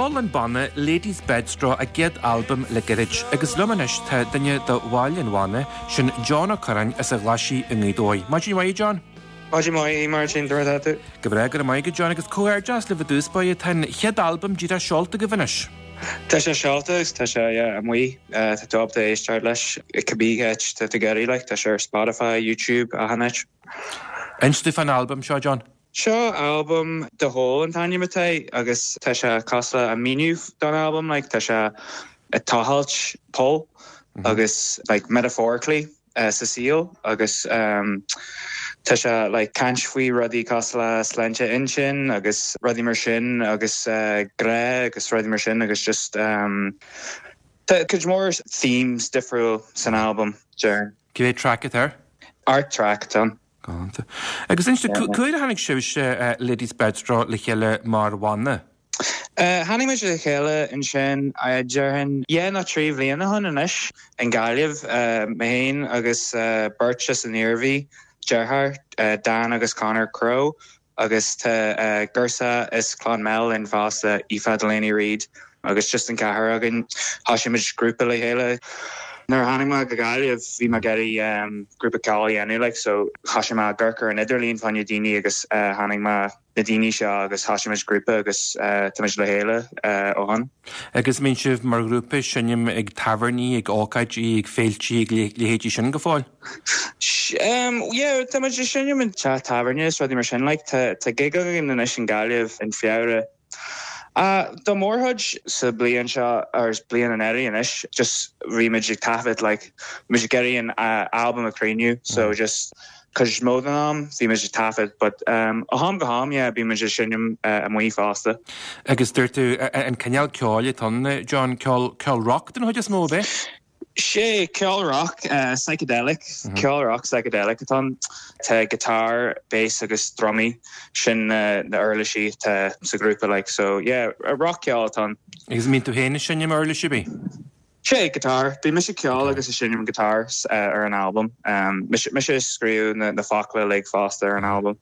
Speaker 1: Sheol an banna Ladies Bedstraw a gcéad albam le gairid agus liom anois tá duine de bhaill an bhanna, sin John Ó Curráin as an Ghlaisigh i nGaoth Dobhair. Maidin mhaith, a John.
Speaker 7: Maidin mhaith, a Mháirtín, conas atá tú?
Speaker 1: Go breá, go raibh maith agat John, agus comhghairdeas libh i dtús báire, tá an chéad albam díreach seolta agaibh anois.
Speaker 7: Tá sé seolta agus tá sé, yeah, amuigh, tá tú ábalta éisteacht leis i cibé áit tá tú ag iarraidh, like, tá sé ar Spotify, YouTube, achan áit.
Speaker 1: Inis domh fán albam seo, John.
Speaker 7: Seo albam The Hole an t-ainm atá air agus tá sé cosúil le an míniú don albam, like, tá sé ag tochailt poll agus like metaphorically, sa saol agus tá sé like caint faoi rudaí cosúil le sláinte intinn agus rudaí mar sin agus grá agus rudaí mar sin agus just tá cuid mhór themes difriúil san albam, déarfainn.
Speaker 1: Cé mhéad traic atá air?
Speaker 7: 8 traic atá ann.
Speaker 1: Galánta. Agus inis dom, cá huair a tháinig sibhse Ladies Bedstraw le chéile mar bhanna?
Speaker 7: Tháinig muid le chéile ansin, déarfainn, dhá nó trí bhliain ó shin anois, i nGaillimh, mé féin agus beirt as an Iarmhí, deartháir, Dan agus Conor Crowe, agus tá girseach as Clonmel linn fosta, Aoife Delaney Reid, agus just an ceathrar againn, thosaigh muid grúpa le chéile. Nuair a tháinig mé go Gaillimh, bhí mé ag iarraidh grúpa ceoil a dhéanamh, like, so thosaigh mé ag amharc ar an idirlíon fá choinne daoine agus tháinig mé na daoine seo agus thosaigh muid grúpa agus tá muid le chéile ó shin.
Speaker 1: Agus mbíonn sibh mar ghrúpa ag seinm ag tábhairní, ag ócáidí, ag féiltí, ag leithéidí sin go fóill?
Speaker 7: Yeah, tá muid ag seinm in teach tábhairne is rudaí mar sin. Like, tá tá gig againn anois in Gaillimh in Feabhra. Do mórchuid sa bliain seo, or bliain anuraidh anois, just bhí muid ag taifead, like, bhí muid ag iarraidh an albam a chríochnú, so just cuid is mó den am bhí muid ag taifead, but ó am go ham, yeah, bíonn muid ag seinm amuigh fosta.
Speaker 1: Agus dúirt tú, an cineál ceoil atá ann, John, ceol, ceol rock den chuid is mó, ab é?
Speaker 7: Sé, ceol rock, psychedelic, ceol rock psychedelic atá ann. Tá guitar, bass agus drumaí, sin na uirlisí atá sa ghrúpa like, so yeah, rock ceol atá ann.
Speaker 1: Agus an mbíonn tú féin ag seinm uirlis ar bith?
Speaker 7: Sé, guitar. Bíonn mise ag ceol agus ag seinm guitar ar an albam. Mise a scríobh na focla uilig fosta ar an albam.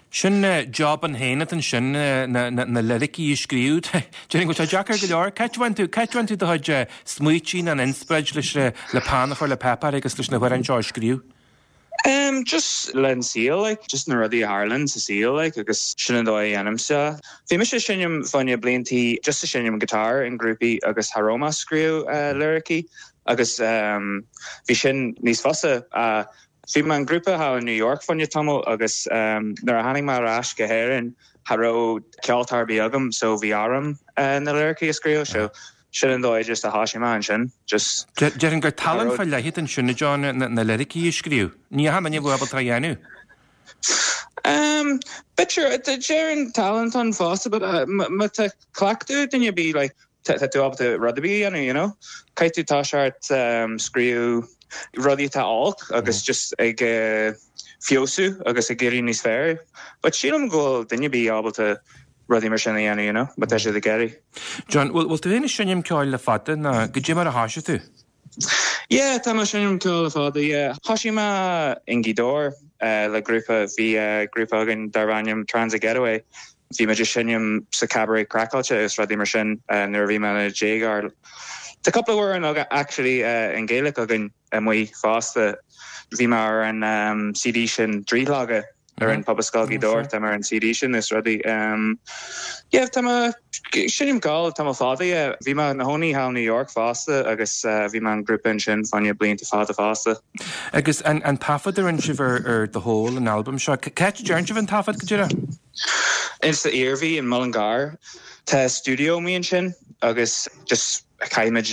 Speaker 1: Sin job ann féin atá ansin, na liricí a scríobh. Déarfainn go bhfuil sé deacair go leor. Cá háit a bhfaigheann tú, cá háit a bhfaigheann tú do chuid smaoití nó an inspioráid leis le peann a chur le páipéar agus leis na hamhráin seo a scríobh?
Speaker 7: Em, just le an saol, like, just na rudaí a tharlaíonn sa saol, like, agus sin an dóigh a dhéanaimse. Bhí mise ag seinm fá choinne bliantaí, just ag seinm guitar in grúpaí agus cha raibh mé ag scríobh liricí agus em, bhí sin níos fusa. Bhí mé in grúpa thall in New York fá choinne tamall agus nuair a tháinig mé ar ais go hÉirinn cha raibh ceoltóir ar bith agam so bhí orm na liricí a scríobh so sin an dóigh just a thosaigh mé ansin just
Speaker 1: Déarfainn gur tallann fá leith atá ansin a John, na liricí a scríobh. Ní achan duine a bheadh ábalta é a dhéanamh.
Speaker 7: Um, b'fhéidir, déarfainn tallann atá ann fosta but má tá cleachtadh ag duine ar bith like Tá tú ábalta rud ar bith a dhéanamh, you know. Caithfidh tú toiseacht scríobh rudaí atá olc agus just ag feabhsú agus ag éirí níos fearr. But sílim go bhfuil duine ar bith ábalta rudaí mar sin a dhéanamh, you know, má tá siad ag iarraidh.
Speaker 1: John, bhfuil tú féin ag seinm ceoil le fada nó goidé mar a thoisigh tú?
Speaker 7: Yeah, tá mé ag seinm ceoil le fada, yeah. Thoisigh mé i nGaoth Dobhair le grúpa, bhí grúpa againn darbh ainm Transit Getaway Bhí muid ag seinm sa Cabaret Craiceáilte agus rudaí mar sin nuair a bhí mé i mo dhéagóir. Tá cúpla amhrán actually i nGaeilge againn amuigh fosta. Bhí mé ar an CD sin Drithleoga. a rinne Pobalscoil Ghaoth Dobhair, tá mé ar an CD sin is rudaí. Yeah, tá mé, seinnim ceol tamall fada, yeah. Bhí mé ina chónaí thall New York fosta agus bhí mé in grúpa ansin fá choinne blianta fada fosta.
Speaker 1: Agus an taifead a rinne sibh ar The Hole, an albam seo, cá háit a dtearn sibh an taifead go díreach?
Speaker 7: Ins an Iarmhí in Mullingar. Tá stiúideo amuigh ansin agus just caithimid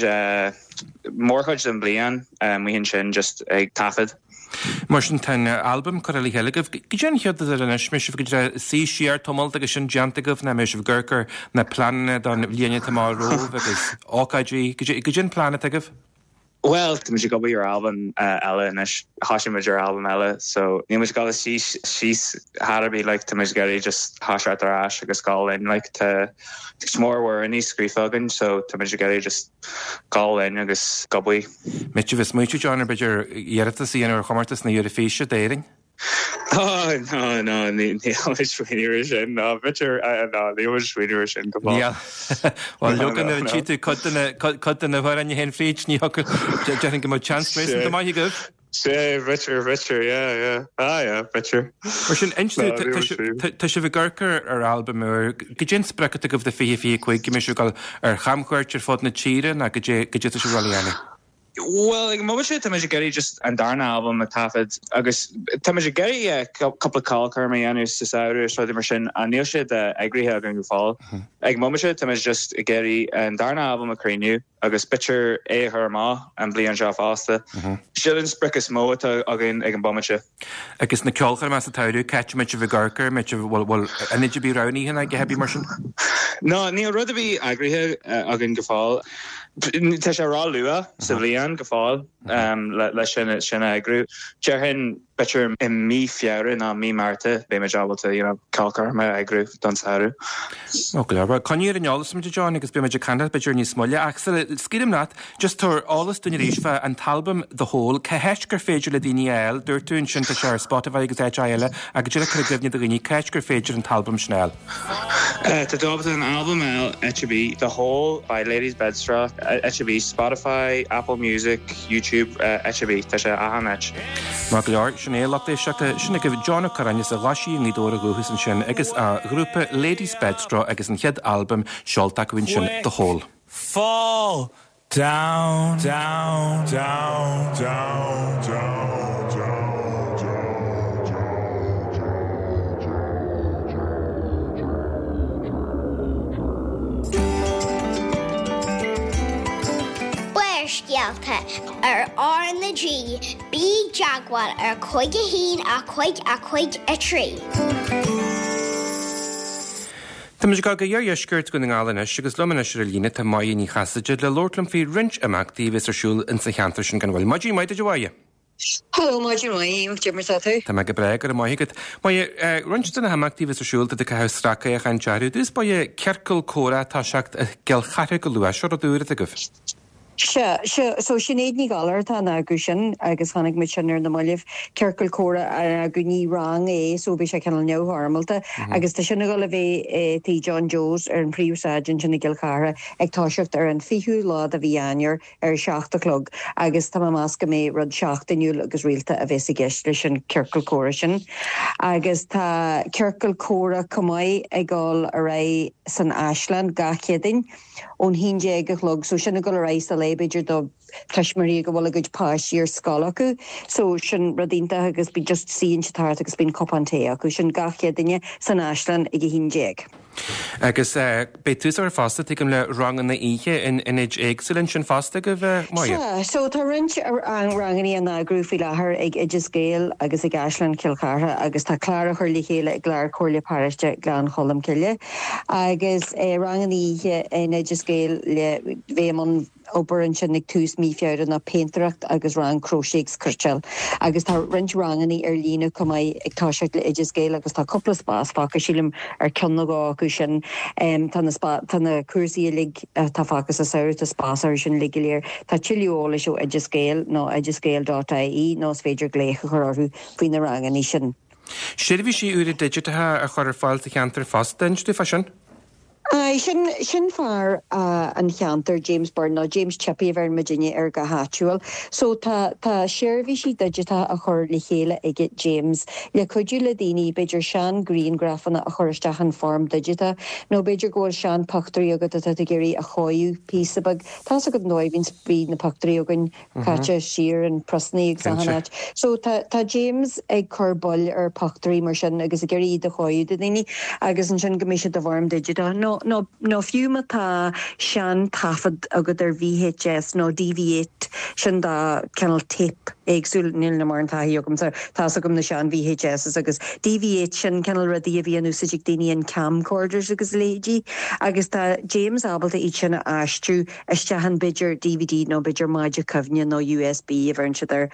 Speaker 7: mórchuid den bhliain amuigh ansin just ag taifead.
Speaker 1: Mar sin tá an albam curtha le chéile agaibh. Goidé an chéad rud eile anois, mbeidh sibh go díreach suí siar tamalt agus sin déanta agaibh nó mbeidh sibh ag amharc ar na pleananna don bhliain atá amach romhaibh agus ócáidí, goidé an plean atá agaibh?
Speaker 7: Bhuel, tá muid ag obair ar albam eile anois, thoisigh muid ar albam eile so níl muid ag dul síos síos chor ar bith like tá muid ag iarraidh just thoiseacht ar ais agus dul in like tá cuid mhór amhráin scríofa againn so tá muid ag iarraidh just dul in agus ag obair.
Speaker 1: Mbeidh sibh ag smaoitiú John ar b'fhéidir iarratas a dhéanamh ar chomórtas na Eurofíse d'Éirinn?
Speaker 7: Oh no no níl muid ag smaoineamh ar sin no b'fhéidir no níl muid ag smaoineamh ar sin go fóill.
Speaker 1: Níl. Bhuel leoga nuair a tchí tú cuid de na cuid de na hamhráin a théann fríd ní thiocfadh déarfainn go mbeadh seans réasúnta maith agaibh.
Speaker 7: Sea b'fhéidir b'fhéidir yeah yeah ah yeah b'fhéidir.
Speaker 1: Mar sin inis No níl muid ag tá sibh ag amharc ar ar albam úr goidé an sprioc atá agaibh do 2025 go mbeidh sibh ag dul ar chamchuairt ar fud na tíre nó goidé goidé tá sibh ag dul a dhéanamh?
Speaker 7: Bhuel, ag an mbomaite tá muid ag iarraidh just an darna albam a taifead agus tá muid ag iarraidh yeah cúpla ceolchoirm a dhéanamh sa samhradh is rudaí mar sin ach níl siad eagraithe againn go fóill. Ag an mbomaite tá muid just ag iarraidh an darna albam a chríochnú agus b'fhéidir é a chur amach an bliain seo fosta. Sin an sprioc is mó atá againn ag an bomaite.
Speaker 1: Agus na ceolchoirmeacha sa tsamhradh, cá háit a mbeidh sibh ag amharc air, mbeidh sibh, bhfuil, bhfuil ionad ar bith roghnaithe nó a dhath ar bith mar sin?
Speaker 7: No, níl rud ar bith eagraithe againn go fóill. Tá sé ró-luath sa bhliain go fóill le sin, sin a eagrú. Déarfainn b'fhéidir i mí Feabhra nó mí Márta beidh muid ábalta, you know, ceolchoirm a eagrú don samhradh.
Speaker 1: Ó, go leor. Bhuel, coinnigh ar an eolas muid, a John, agus beidh muid ag caint leat b'fhéidir níos moille. Ach sula scaoilim leat, Just tabhair eolas dúinn arís fá an t-albam The Hole, cá háit gur féidir le daoine é a fháil? Dúirt tú ansin tá sé ar Spotify agus áiteacha eile ach go díreach cur i gcuimhne do dhaoine cá háit gur féidir an t-albam sin a fháil.
Speaker 7: Tá tú ábalta an albam a fháil áit ar bith, The Hole by Ladies Bedstraw, áit ar bith, Spotify, Apple Music, YouTube, áit ar bith, tá sé achan áit.
Speaker 1: Maith go leor, sin é, lucht éisteachta, sin agaibh John Ó Curráin as an Ghlaisigh i nGaoth Dobhair ó dhúchas ansin agus a ghrúpa Ladies Bedstraw agus an chéad albam seolta acu ansin, The Hole.
Speaker 8: Fall down, down, down, down, down, down, down, down, down,
Speaker 3: down. Barrscéalta ar R na G, bí i dteagmháil ar 5 1 5 5 3.
Speaker 1: Tá muid ag dul go iardheisceart Dhún na nGall anois agus liom anois ar an líne tá Máire Ní Chasaide le labhairt liom faoi roinnt imeachtaí a bheas ar siúl insa cheantar sin gan mhoill. Maidin mhaith duit a Mháire!
Speaker 9: Hello, maidin mhaith, cad é mar tá tú?
Speaker 1: Tá mé go breá, go raibh maith agat. Máire, roinnt de na himeachtaí a bheas ar siúl, tá tú ag caitheamh sracfhéachaint orthu. I dtús báire, ciorcal comhrá ag toiseacht i gCill Chartha go luath, seo rud úr atá agaibh.
Speaker 9: Sea, sea, so Sinéad Ní Ghallchóir atá in eagrú sin agus chonaic muid sin ar na mallaibh, ciorcal comhrá á eagrú, ní rang é so beidh sé cineál neamhfhoirmeálta agus tá sin ag dul a bheith i Tigh John Joe's ar an phríomhshráid ansin i gCill Chartha ag toiseacht ar an 20ú lá de mhí Eanáir ar a 7 a chlog agus tá mé ag meas go mbeidh rud seachtainiúil agus rialta a bheas i gceist leis an ciorcal comhrá sin. Agus tá ciorcal comhrá chomh maith ag dul ar aghaidh san Áislann gach Céadaoin. ón haon déag a chlog so sin ag dul ar aghaidh sa lae b'fhéidir do tuismitheoirí go bhfuil a gcuid páistí ar scoil acu so sin rud iontach agus bí just suíonn siad thart agus bíonn cupán tae acu sin gach Céadaoine san Áislann ag a haon déag.
Speaker 1: Agus beidh tús á chur fosta, tuigim, le ranganna oíche in ionaid éagsúla ansin fosta agaibh,
Speaker 9: Máire? Sea, so tá roinnt ranganna á n-eagrú faoi láthair ag Oideas Gael agus ag Áislann Chill Chartha agus tá clár á chur le chéile ag Clár Comhairle Paróiste Ghleann Cholm Cille. Agus ranganna oíche in Oideas Gael le bheith i mbun obair ansin ag tús mí Feabhra ná péintéireacht agus rang cróiséis agus cniotáil. Agus tá roinnt ranganna ar líne chomh maith ag toiseacht le Oideas Gael agus tá cúpla spás fágtha sílim ar ceann nó dhó acu sin. Tá na tá na cúrsaí uilig atá fágtha sa samhradh, tá spás orthu sin uilig go léir. Tá tuilleadh eolais ó Oideas Gael nó oideasgael.ie nó is féidir glaoch a chur orthu faoi na ranganna sin.
Speaker 1: Seirbhísí úra digiteacha á chur ar fáil sa cheantar fosta, inis dúinn fá sin.
Speaker 9: Aye, sin, sin fear an cheantair, James Byrne, nó James Chippy a bheireann muidinne air go háitiúil. So tá, tá seirbhísí digiteacha á chur le chéile aige James le cuidiú le daoine, b'fhéidir sean-ghrianghrafanna a chur isteach in form digiteach, nó b'fhéidir go bhfuil sean-phictiúirí agat atá tú ag iarraidh a chóiriú píosa beag. Tá's agat an dóigh a bhíonns, bhí na pictiúirí againn caite siar in priosannaí agus achan áit. So tá tá James ag cur bail ar phictiúirí mar sin agus ag iarraidh iad a chóiriú do dhaoine agus ansin go mbeidh siad i bhfoirm digiteach. Nó nó nó fiú má tá sean taifead agat ar VHS nó DV8 sin dá cineál tape éagsúil, níl na mórán taithí agamsa, tá's agam na sean VHSs agus DV8 sin cineál rudaí a bhí in úsáid ag daoine in camcorders agus a leithéidí agus tá James ábalta iad sin a aistriú isteach in b'fhéidir DVD nó b'fhéidir maide cuimhne nó USB a bheireann siad air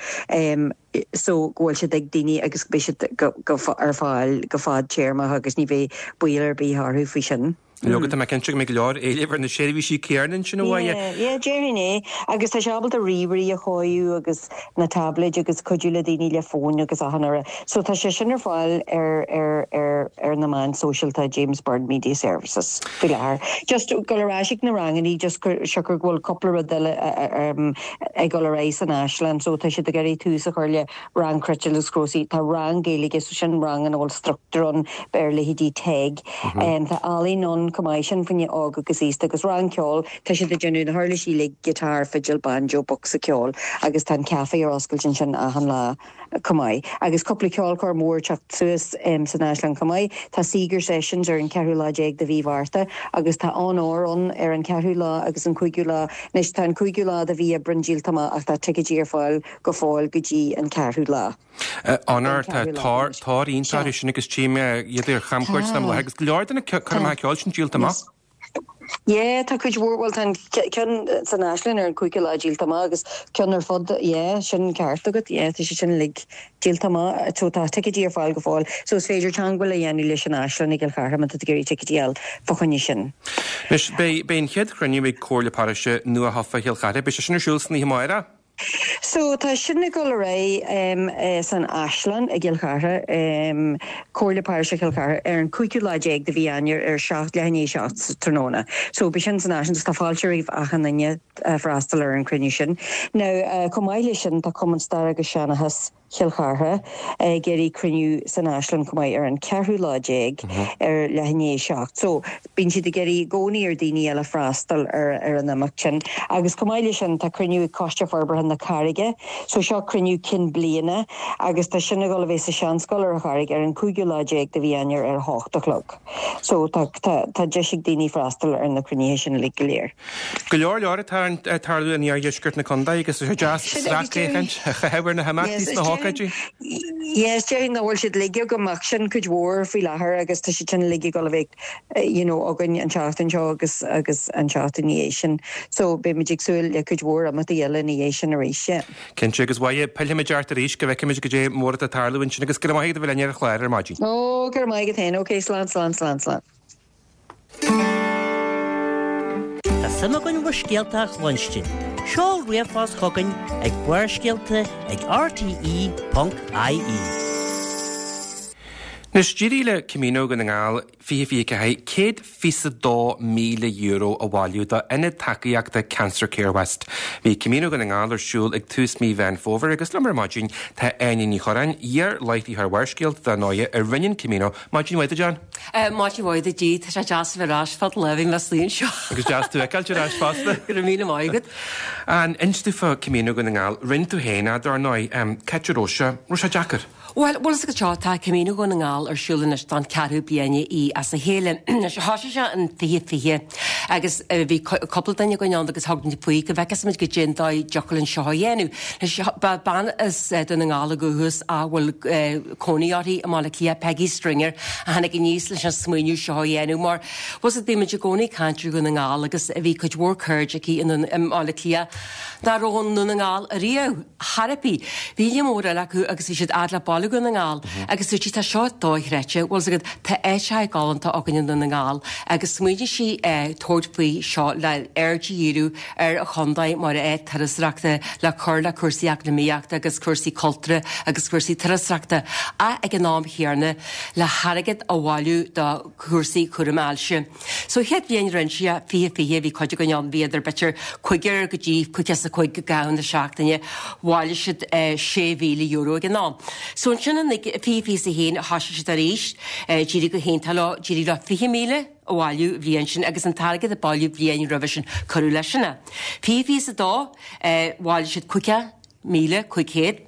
Speaker 9: so go bhfuil siad ag daoine agus go mbeidh siad go, go, ar fáil go fadtéarmach agus ní bheidh baol ar bith orthu faoi sin.
Speaker 1: Leoga, tá mé cinnte go mbeidh go leor éilimh ar na seirbhísí céanna ansin a Mháire.
Speaker 9: Yeah, yeah, déarfainn é. Agus tá sé ábalta ríomhairí a chóiriú agus na táibléid agus cuidiú le daoine le fóin agus achan rud. So tá sé sin ar fáil ar, ar, ar, ar na meáin sóisialta, James Byrne Media Services. faoi láthair. Just dul ar ais ag na rangannaí just siocair go bhfuil cúpla rud eile ag dul ar aghaidh san Áislann so tá siad ag iarraidh tús a chur le rang cniotáil agus crósaí. Tá rang Gaeilge so sin rang ina bhfuil struchtúr ann ar leithéidí TEG. Tá ealaín ann chomh maith sin fá choinne óg agus aosta agus rang ceoil. Tá siad ag déanamh na huirlisí uilig, guitar, fidil, banjo, bocsa ceoil agus tá an café ar oscailt ansin achan lá. chomh maith. Agus cúpla ceolchoirm mhór ag teacht suas san Áislann chomh maith. Tá Seeger Sessions ar an cheathrú lá déag de mhí Mhárta agus tá Onóir ann ar an cheathrú lá agus an cúigiú lá. Anois tá an cúigiú lá de mhí Aibreán díolta amach ach tá ticéidí ar fáil go fóill go dtí an ceathrú lá.
Speaker 1: Onóir, tá tóir iontach orthu sin agus tchím iad ar chamchuairt am láthair agus go leor de na coirmeacha ceoil sin díolta amach.
Speaker 9: Yeah, tá cuid mhór, bhuel tá an ceann san Áislann ar an cúigiú lá díolta amach agus ceann ar fud, yeah, sin ceart agat, yeah, tá sé sin uilig díolta amach. So tá ticéidí ar fáil go fóill. So is féidir teangmháil a dhéanamh leis an Áislann i gCill Chartha má tá tú ag iarraidh ticéidí a fháil fá choinne sin.
Speaker 1: Anois, beidh, beidh an chéad chruinniú ag Comhairle Paróiste nua-thofa Chill Chartha, beidh sé sin ar siúl san oíche amárach.
Speaker 9: So, tá sin ag dul ar aghaidh san Áislann i gCill Chartha, Comhairle Paróiste Chill Chartha, ar an cúigiú lá déag de mhí Eanáir ar 7, leath i ndiaidh 7 sa tráthnóna. So, beidh sin san Áislann agus tá fáilte roimh achan duine freastal ar an chruinniú sin. Now, chomh maith leis sin, tá Cumann Staire agus Seanchais, Chill Chartha ag iarraidh cruinniú san Áislann chomh maith ar an cheathrú lá déag ar leath i ndiaidh 7. So, bíonn siad ag iarraidh i gcónaí ar daoine eile freastal ar ar an imeacht sin. Agus chomh maith leis sin tá cruinniú ag Coiste Forbartha na Carraige. So seo cruinniú cinn bliana agus tá sin ag dul a bheith sa Seanscoil ar an Charraig ar an cúigiú lá déag de mhí Eanáir ar a hocht a chlog. So tá tá tá deis ag daoine freastal ar na cruinnithe sin uilig go léir.
Speaker 1: Go leor leor atá ag tarlú in iardheisceart na contae agus is deas sracfhéachaint a chaitheamh ar na himeachtaí sna hócáidí.
Speaker 9: Yes, déarfainn nach bhfuil siad uilig agam ach sin cuid mhór faoi láthair agus tá siad sin uilig ag dul a bheith you know againn an tseachtain seo agus agus an tseachtain ina dhiaidh sin. So beidh muid ag súil le cuid mhór imeachtaí eile ina dhiaidh sin arís, yeah.
Speaker 1: Cinnte, agus a Mháire, pillfimid ort arís go bhfeicfimid goidé mór atá ag tarlú ansin agus go raibh maith agat a bheith linn ar an chlár ar maidin.
Speaker 9: Ó, go raibh maith agat féin. Ok, slán, slán, slán, slán.
Speaker 5: Tá suim againn bhur scéalta a chluinstin. Seol ríomhphost chugainn ag Barrscéalta ag rte.ie.
Speaker 1: Anois, d'éirigh le Camino Dhún na nGall 2024 €122,000 a bhailiú do Ionad Tacaíochta Cancer Care West. Bhí Camino Dhún na nGall ar siúl ag tús mí Mheán Fómhair agus liom ar maidin tá Áine Ní Churráin, iar-láithreoir Bharrscéalta dar ndóighe, a rinne an Camino. Maidin mhaith duit, Áine.
Speaker 10: Maidin mhaith duit, Dee. Tá sé deas a bheith ar ais fad lá bhí mé istigh anseo.
Speaker 1: Agus deas tú a fheiceáilt ar ais fosta.
Speaker 10: Go raibh míle maith agat.
Speaker 1: Áine, inis dúinn fá Camino Dhún na nGall. Rinne tú féin é, dar ndóigh. Cá háit a raibh sé? Raibh sé deacair?
Speaker 10: Bhuel, bhfuil fhios agat seo, tá Camino Dhún na nGall ar siúl anois don cheathrú bliain í as a chéile. Anois, thosaigh sé in 2020 agus bhí cúpla duine againn ann agus thug muid faoi go bhfeicfeas muid goidé an dóigh a dtiocfadh linn seo a dhéanamh. Anois, ba bean as Dún na nGall ó dhúchas a bhfuil cónaí uirthi i mBaile Átha Cliath, Peggy Stringer, a tháinig aníos leis an smaoineamh seo a dhéanamh mar, bhfuil fhios agat, bhí muid i gcónaí ag caint ar Dhún na nGall agus bhí cuid mhór cairde aici i mBaile Átha Cliath nach raibh i nDún na nGall ariamh. Chor ar bith. Bhí líon mór eile acu agus bhí siad fhad le baile Dhún na nGall agus dúirt sí tá seo dochreidte, bhfuil fhios agat, tá áiteacha galánta againn i nDún na nGall agus smaoinigh sí tabhairt. thabhairt faoi seo le aird a dhíriú ar an chontae mar áit turasóireachta le cur le cúrsaí eacnamaíochta agus cúrsaí cultúrtha agus cúrsaí turasóireachta ach ag an am chéanna le hairgead a bhailiú do chúrsaí cúram ailse. So chéad bhliain rinne sé, 2020, bhí cuid againn ann, bhíodar b'fhéidir cúigear go dtí caoga is a cúig i gcaitheamh na seachtaine, bhailigh siad €6,000 ag an am. So ansin in 2021 thosaigh siad arís, d'éirigh go hiontach leo, d'éirigh leo 20,000 a bhailiú an bhliain sin agus an t-airgead a bailíodh bliain roimhe sin cuireadh leis sin é. 2022, bhailigh siad 50,500,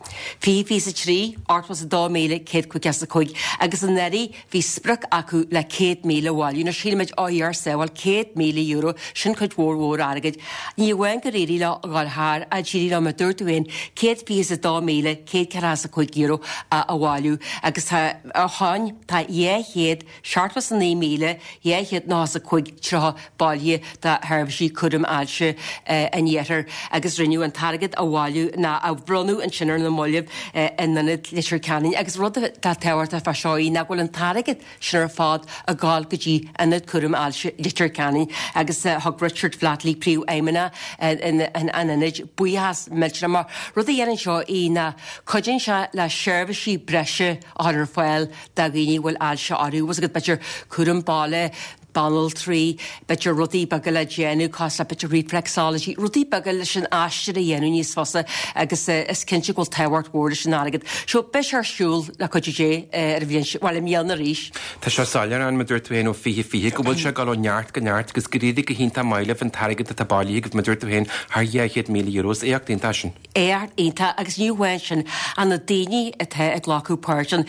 Speaker 10: 2023, 82,155 agus anuraidh bhí sprioc acu le 100,000 a bhailiú. Anois shíl muid, ó Dhia ár sábháil, €100,000, sin cuid mhór mhór airgid. Ní amháin gur éirigh leo a dhul thar, ach d'éirigh leo, mar a dúirt tú féin, €122,145 a bhailiú agus tá, ó shoin, tá 200, 79,295.30 bailithe do sheirbhísí cúraim ailse an Iarthair agus rinneadh an t-airgead a bhailiú ná a bhronnadh ansin ar na mallaibh in Ionad Leitir Ceanainn agus rud atá tábhachtach fá seo í ná go bhfuil an t-airgead sin ar fad ag gabháil go dtí Ionad Cúraim Ailse Leitir Ceanainn agus thug Richard Flatley, Príomhfheidhmeannach an Ionaid, buíochas millteanach mar rud a dhéanann seo í ná cuidíonn sé le seirbhísí breise a chur ar fáil do dhaoine a bhfuil ailse orthu, bhfuil a fhios agat, b'fhéidir cúram baile, banaltraí, b'fhéidir rudaí beaga le déanamh, cosúil le b'fhéidir reflexology, rudaí beaga leis an aistear a dhéanamh níos fusa agus is cinnte go bhfuil tábhacht mhór leis an airgead. So beidh sé ar siúl le cuidiú Dé ar an bhliain seo, bhuel i mbliana arís.
Speaker 1: Tá sé soiléir ann, mar a dúirt tú féin ó 2020, go bhfuil sé ag dul ó neart go neart agus gur éirigh go hiontach maith libh an t-airgead atá bailithe agaibh, mar a dúirt tú féin, thar €200,000. Is éacht iontach sin.
Speaker 10: Éacht iontach agus ní amháin sin ach na daoine atá ag glacadh páirt ann.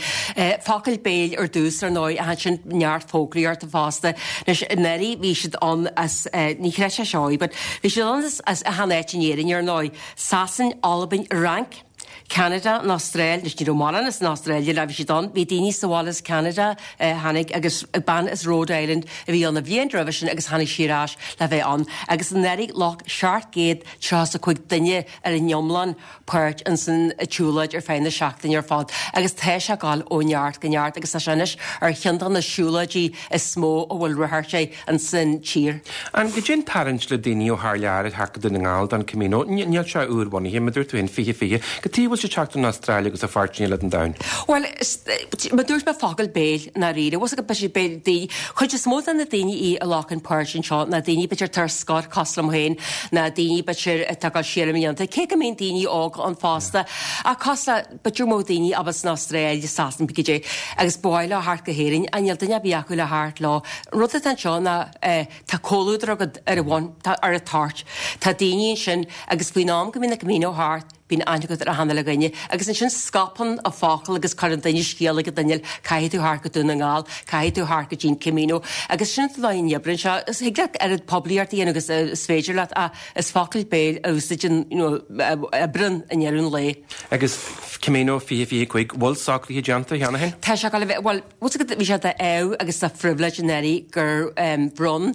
Speaker 10: Focal béil ar dtús ar ndóigh ach ansin neart fógraíochta fosta. Anois anuraidh bhí siad ann as, ní chreidfeá seo but bhí siad ann as achan áit in Éirinn ar ndóigh, Sasain, Albain, Fhrainc, Ceanada, an Astráil, anois ní raibh mórán as an Astráil ach bhí siad ann, bhí daoine sa bhaile as Ceanada a tháinig agus bean as Rhode Island a bhí ann an bhliain roimhe sin agus tháinig sí ar ais le bheith ann agus anuraidh ghlac 700 35 duine ar an iomlán páirt ins an tsiúlóid ar feadh na seachtaine ar fad agus tá sé ag dul ó neart go neart agus tá sé anois ar cheann de na siúlóidí is mó a bhfuil ráchairt air ins an tír.
Speaker 1: An goidé an tarraingt le daoine ó thar lear ag theacht go Dún na nGall don Camino? Níl sé úr-bhunaithe, mar a dúirt tú féin, 2020. Cad tuige a bhfuil siad ag teacht ón Astráil agus ó pháirteanna eile den domhan?
Speaker 10: Bhuel, mar a dúirt mé focal béil i ndáiríre. Bhfuil a fhios agat b'fhéidir daoine, chuid is mó de na daoine í a ghlacann páirt anseo ná daoine b'fhéidir atá ar scor cosúil liom féin, ná daoine b'fhéidir atá ag dul siar i mblianta, cé go mbíonn daoine óga ann fosta, ach cosúil le b'fhéidir go mbeadh daoine abhus san Astráil, i Sasana, pé goidé, agus ba mhaith leo theacht go hÉirinn, ach níl duine ar bith acu le theacht leo. An rud atá anseo ná tá comhluadar agat ar an bhun, tá ar an toirt, tá daoine ansin agus faoin am go mbíonn an Camino thart, Bíonn aithne agat ar achan uile dhuine agus ansin scaipeann an focal agus cuireann duine scéala ag an duine eile, caithfidh tú theacht go Dún na nGall, caithfidh tú theacht go dtí an Camino agus sin an dóigh a n-oibríonn sé. Is thig leat oiread poiblíocht a dhéanamh agus is féidir leat ach is focal béil a úsáideann, you know, a oibríonn i ndeireadh an lae.
Speaker 1: Agus Camino 2025, bhfuil socruithe déanta cheana féin?
Speaker 10: Tá sé ag dul a bheith, bhuel, bhfuil a fhios agat, bhí sé d'ádh agus de phribhléid anuraidh gur bhronn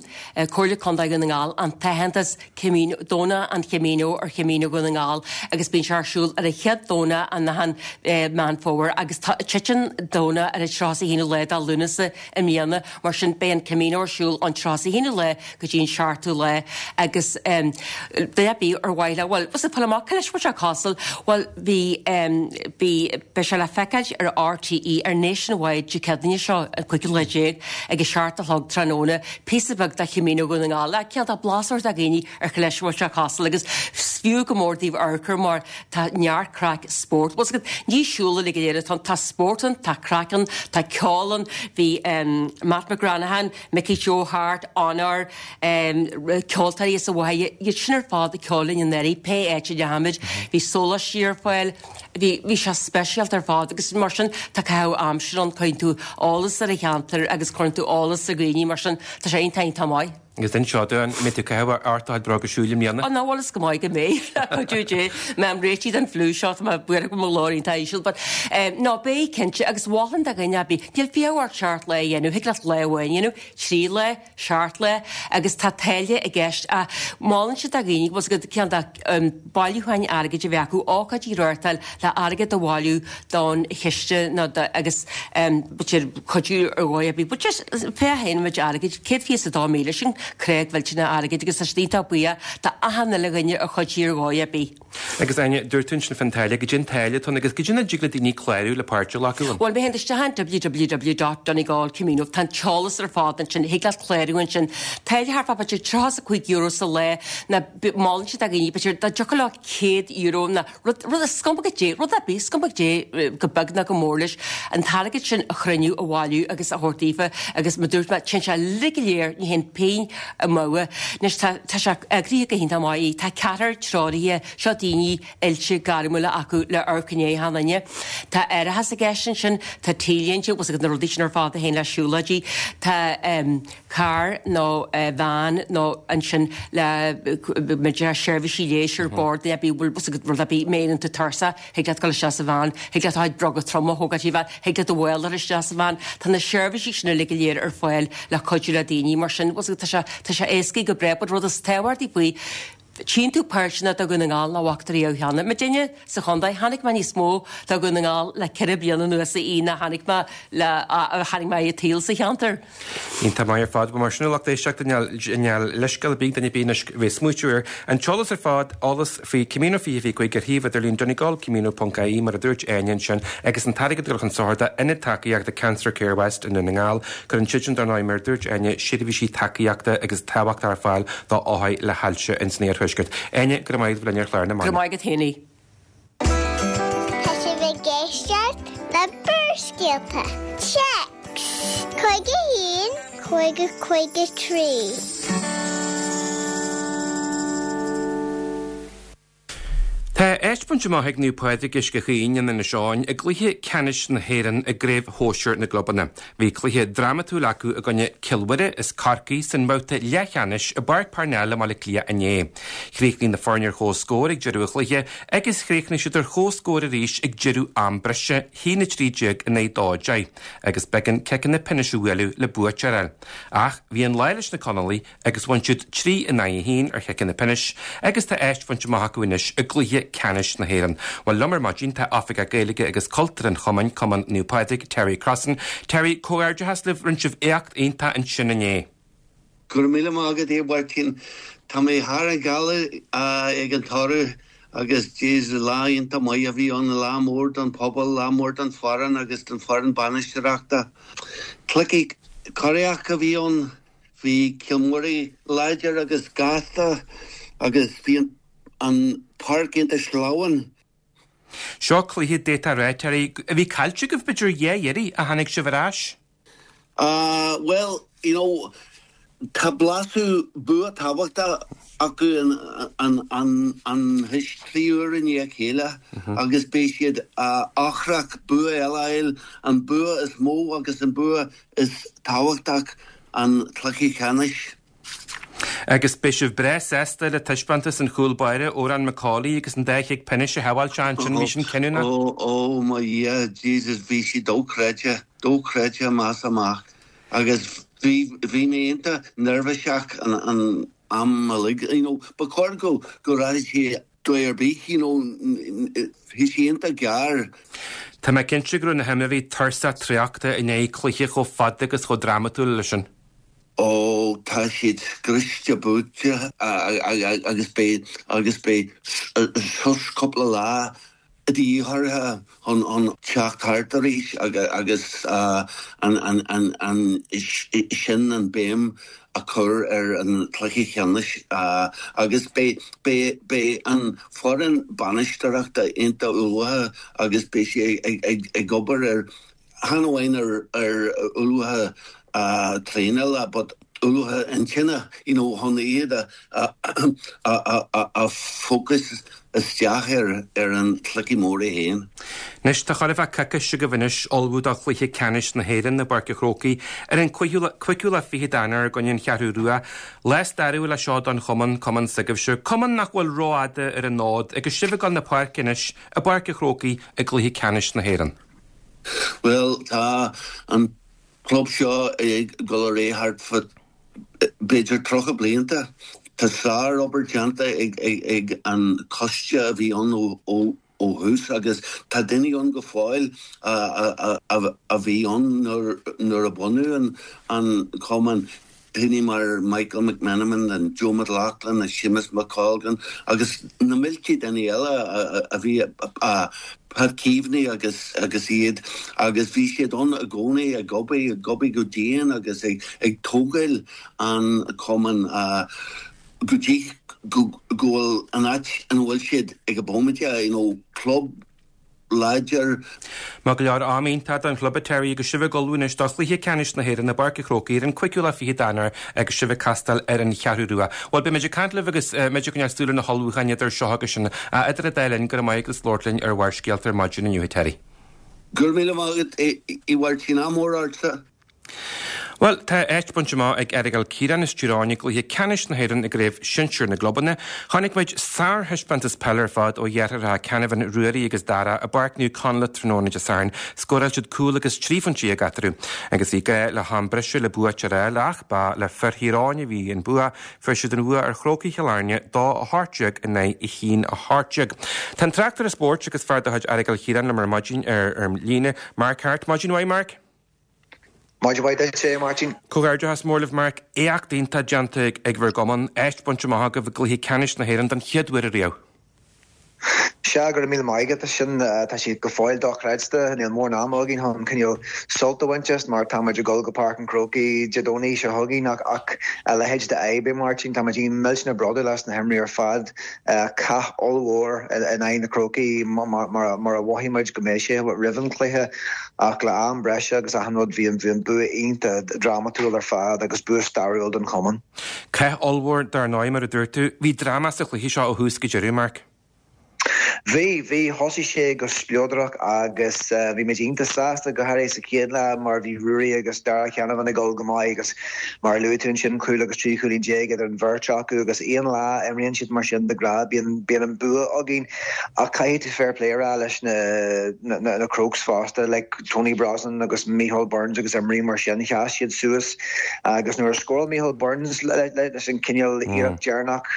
Speaker 10: Comhairle Contae Dhún na nGall an t-aitheantas Camino, Domhnach an Chamino ar Chamino Dhún na nGall agus bíonn sé ar siúl ar an chéad Domhnach in achan Meán Fómhair agus titeann Domhnach ar an 31ú lá de Lúnasa i mbliana mar sin beidh an Camino ar siúl ón 31ú lá go dtí an 7ú lá agus duine ar bith ar mhaith leo, bhuel, bhfuil a fhios agat, fáil amach cá leis bhfuil sé cosúil, bhuel bhí, bhí, beidh sé le feiceáil ar RTÉ ar Nationwide Dé Céadaoine seo an 15ú lá ag a seacht a chlog tráthnóna. Píosa beag de Chamino Dhún na nGall, le cineál de blas a thabhairt do dhaoine ar cá leis a bhfuil sé cosúil agus is fiú go mór daoibh amharc air mar tá neart craic spórt. Bhfuil a fhios agat, ní siúl uilig go léir atá ann, tá spórt ann, tá craic ann, tá ceol ann, bhí Matt McGranaghan, Mickey Joe Harte, Onóir, ceoltóirí as an Mhachaire, iad sin ar fad ag ceol linn anuraidh, pé áit a ndeachaigh muid, bhí sóláistí ar fáil, Bhí, bhí sé speisialta ar fad agus mar sin tá caitheamh aimsire ann, cuireann tú eolas ar an cheantar agus cuireann tú eolas ar dhaoine mar sin tá sé iontach iontach maith.
Speaker 1: Agus inis dúinn, an mbeidh tú ag caitheamh ort do chuid bróga siúil i mbliana?
Speaker 10: Ó ná bhuel is go maith go mbeidh, le cuidiú Dé. Mé réitithe don fliú seo, tá mé buartha go bhfuil mo ghlór iontach íseal but eh, ná beidh cinnte agus mholfainn do dhuine ar bith, níl fiach ort seacht lá a dhéanamh, thig leat lá amháin a dhéanamh, trí lá, seacht lá agus tá táille i gceist ach molann siad do dhaoine go bhfuil a fhios agat cineál de bailiúcháin airgid a bheith acu, ócáidí a reáchtáil le airgead a bhailiú don chiste nó do agus b'fhéidir cuidiú ar dhóigh ar bith. But just féach féin an méid airgid, 122,000 sin. creag mhillteanach airgid agus tá siad iontach buíoch de achan uile dhuine a chuidigh ar dhóigh ar bith.
Speaker 1: Agus Áine, dúirt tú ansin fán táille, goidé an táille atá ann agus goidé mar a dtig le daoine clárú le páirt a ghlacadh ann.
Speaker 10: Bhuel, má théann tú isteach ar www.donegalcamino, tá an t-eolas ar fad ansin, thig leat clárú ansin. Táille thart fá b'fhéidir €35 sa lá, nó molann siad do dhaoine, b'fhéidir, dá dtiocfadh leo €100 nó rud, rud, is cuma goidé, rud ar bith, is cuma goidé, go beag nó go mór leis, an t-airgead sin a chruinniú, a bhailiú agus a thabhairt daofa agus mar dúirt mé, téann sé uilig go léir, ní théann pingin amú. Anois tá, tá sé eagraithe go hiontach maith. Tá ceathrar treoraithe, seo daoine oilte gairmiúla acu le amharc i ndiaidh achan duine. Tá árachas i gceist ansin, tá T-léinte, bhfuil 's agat na rudaí sin ar fad a théann le siúlóidí, tá em carr nó veain nó ansin le b'fhéidir seirbhísí leighis ar bord, bhfuil 's agat rud ar bith, má éiríonn tú tuirseach, Thig leat dul isteach sa veain, thig leat do chuid bróga troma a thógáil sa veain, thig leat do mhála a chur isteach sa veain. Tá na seirbhísí sin uilig go léir ar fáil le cuidiú le daoine. Mar sin, bhfuil 's agat, tá sé, tá sé éascaithe go breá, but rud is tábhachtaí faoi, tchíonn tú páirteanna de Dhún na nGall nach bhfaca tú riamh cheana. Muidinne sa chontae, chonaic mé níos mó de Dhún na nGall le ceithre bliana anuas a Aoidh ná chonaic mé le, a chonaic mé i tsaol sa cheantar.
Speaker 1: Iontach maith ar fad. Bhuel mar sin a lucht éisteachta níl leithscéal ar bith ag duine ar bith anois bheith ag smaoitiú air. An t-eolas ar fad, eolas faoi Camino 2025 ar shuíomh idirlín donegalcamino.ie mar a dúirt Áine ansin agus an t-airgead ag dul chun sochair d'Ionad Tacaíochta Cancer Care West i nDún na nGall. Cuireann siadsan dar ndóigh mar a dúirt Áine seirbhísí tacaíochta agus tábhachtach ar fáil do othair le hailse ins an iarthuaisceart. Áine, go raibh maith agat a bheith linn ar chlár na
Speaker 10: Go raibh maith agat féin.
Speaker 3: Tá sibh ag éisteacht le Barrscéalta. Téacs 51 50 53.
Speaker 1: Tá áit bainte amach ag Naomh Pádraig Uisce Chaoin in Inis Eoghain i gcluiche ceannais na hÉireann i gCraobh Shóisir na gClubanna. Bhí cluiche drámatúil acu i gcoinne Cill Mhuire as Corcaigh san mbabhta leathcheannais i bPáirc Parnell i mBaile Átha Cliath inné. Chríochnaigh na foirne ar chomhscór ag deireadh an chluiche agus chríochnaigh siad ar chomhscór arís ag deireadh am breise, 1-13 in aghaidh 2-10, agus b'éigean ciceanna pionóis a bhualadh le buaiteoir a fháil. Ach bhí an lá leis na Conallaigh agus bhain siad 3 in aghaidh 1 ar chiceanna pionóis agus tá áit bainte amach acu anois i gcluiche ceannais na hÉireann. Bhuel, liom ar maidin tá Oifigeach Gaeilge agus Cultúir an Chumainn, Cumann Naomh Pádraig, Terry Crossan. Terry, comhghairdeachas libh, rinne sibh éacht iontach ansin inné.
Speaker 11: Go raibh míle maith agat, a Mháirtín. Tá mé thar an ghealaigh ag an toradh agus jeez, lá iontach maith a bhí ann, lá mór don phobal, lá mór don foireann agus don foireann bainisteoireachta. Cluiche corraitheach a bhí ann, bhí Cill Mhuire láidir agus gasta agus bhí an páirc iontach sleamhain.
Speaker 1: Seo cluiche d'fhéadfá a rá, Terry, a bhí caillte agaibh b'fhéidir dhá iarraidh ach tháinig sibh ar ais.
Speaker 11: Ah, bhuel, you know, tá blaiseadh bua tábhachtach acu anois 3 uair i ndiaidh a chéile agus beidh siad ocrach bua eile a fháil, an bua is mó agus an bua is tábhachtach an cluiche ceannais.
Speaker 1: Agus beidh sibh breá sásta le taispeántas an chúl báire, Odhrán McCauley, agus an dá chic pionóis a shábháil sé ansin, bhí sin cinniúnach.
Speaker 11: Ó, ó mo Dhia, Jesus, bhí sé dochreidte, dochreidte amach is amach. Agus bhí, bhí mé iontach neirbhíseach an, an am uilig, you know, ba chóir go, go rachadh sé dóigh ar bith, you know, bhí sé iontach gearr.
Speaker 1: Tá mé cinnte go raibh na himreoirí tuirseach traochta i ndiaidh cluiche chomh fada agus chomh drámatúil leis sin.
Speaker 11: Ó, tá siad scriosta buailte agus beidh agus beidh sos cúpla lá de dhíth orthu chun teacht thart arís agus ansin an béim a chur ar an chluiche ceannais agus beidh beidh an foireann bainisteoireachta iontach ullmhaithe agus beidh sé ag obair ar chan amháin ar ullmhaithe traenála but ullmhaithe intinne, you know, chun iad a a focus isteach ar ar an chluiche mór é féin.
Speaker 1: Anois, tá chóir a bheith coicís agaibh anois ullmhú do chluiche ceannais na hÉireann i bPáirc an Chrócaigh ar an cuigiú lá fichead d'Eanáir i gcoinne an Cheathrú Rua. Lá stairiúil é seo don chumann, cumann s'agaibhse, cumann nach bhfuil rófhada ar an fhód agus sibh ag dul na páirce anois i bPáirc an Chrócaigh i gcluiche ceannais na hÉireann.
Speaker 11: Bhuel, tá an club seo ag dul ar aghaidh thart fá b'fhéidir 30 blianta. Tá sár-obair déanta ag an coiste a bhí ann ó thús agus tá daoine ann go fóill a bhí ann nuair a bunú an cumann. daoine mar Michael McMenamin and Joe McLaughlin and Séamus McColgan agus na mílte daoine eile a bhí Pat Keaveney agus agus iad agus bhí siad ann i gcónaí ag obair, ag obair go dian agus ag ag tógáil an cumann go dtí go go bhfuil an áit ina bhfuil siad ag an bhomaite, you know, club láidir.
Speaker 1: Maith go leor, am iontach don chlub a Terry agus sibh ag ullmhú anois do chluiche ceannais na hÉireann i bPáirc an Chrócaigh ar an cúigiú lá fichead d'Eanáir agus sibh ag castáil ar an Cheathrú Rua. Bhuel, beidh muid ag caint libh agus muid ag coinneáil súil ar na hullmhúcháin idir seo agus sin. Idir an dá linn, go raibh maith agat as labhairt linn ar Bharrscéalta ar maidin inniu, a Terry.
Speaker 11: Go raibh míle maith agat, a Mháirtín, ádh mór ortsa.
Speaker 1: Bhuel, tá áit bainte amach ag Errigal Ciarán as Tír Eoghain i gcluiche ceannais na hÉireann i gCraobh Shinsir na gClubanna. Chonaic muid sárthaispeántas peile ar fad ó dheartháireacha Canavan, Ruairí agus Dara i bPáirc Naomh Conleth tráthnóna Dé Sathairn. Scóráil siad cúl agus 13 phointe eatarthu agus bhí gá le ham breise le bua a fháil ach ba le fir Thír Eoghain a bhí an bua. Fuair siad an bhua ar Chrócaigh Chill Airne, 2-18 in aghaidh 1-18. Tá an tráchtaire spóirt agus fear de chuid Errigal Chiaráin liom ar maidin ar an líne, Mark Harte. Maidin mhaith, Mark.
Speaker 12: Maidin mhaith duit, a Mháirtín.
Speaker 1: Comhghairdeachas mór libh Mark. Éacht iontach déanta ag bhur gcumann. Áit bainte amach agaibh i gcluiche ceannais na hÉireann don chéad uair ariamh.
Speaker 12: Sea, go raibh míle maith agat. Sin, tá sé go fóill dochreidte. Níl mórán ama againn chun cineál sult a bhaint as mar tá muid ag dul go Páirc an Chrócaigh Dé Domhnaigh seo chugainn ach ach a leithéid de fhadhb é Máirtín. Tá muid millteanach bródúil as na himreoirí ar fad. Cath ollmhór in aghaidh na Crócaigh mar a mhothaigh muid go mbeidh sé roimh an chluiche. Ach le am breise agus achan rud, bhí an bua iontach drámatúil ar fad agus bua stairiúil don chumann.
Speaker 1: Cath ollmhór dar ndóigh, mar a dúirt tú. Bhí dráma sa chluiche seo ó thús go deireadh, Mark.
Speaker 12: Bhí, bhí. Thosaigh sé go spleodrach agus bhí muid iontach sásta, go háirithe sa chéad leath mar bhí Ruairí agus Dara Canavan ag dul go maith agus mar a luaigh tú ansin, cúl agus 13 chúilín idir an bheirt acu agus aon lá a imríonn siad mar sin de ghnáth bíonn, bíonn an bua againn. Ach caithfidh tú fair play a rá leis na Crokes fosta, like Tony Brosnan agus Micheál Burns agus imreoirí mar sin, sheas siad suas agus nuair a scóráil Micheál Burns leis an cineál iarracht deireanach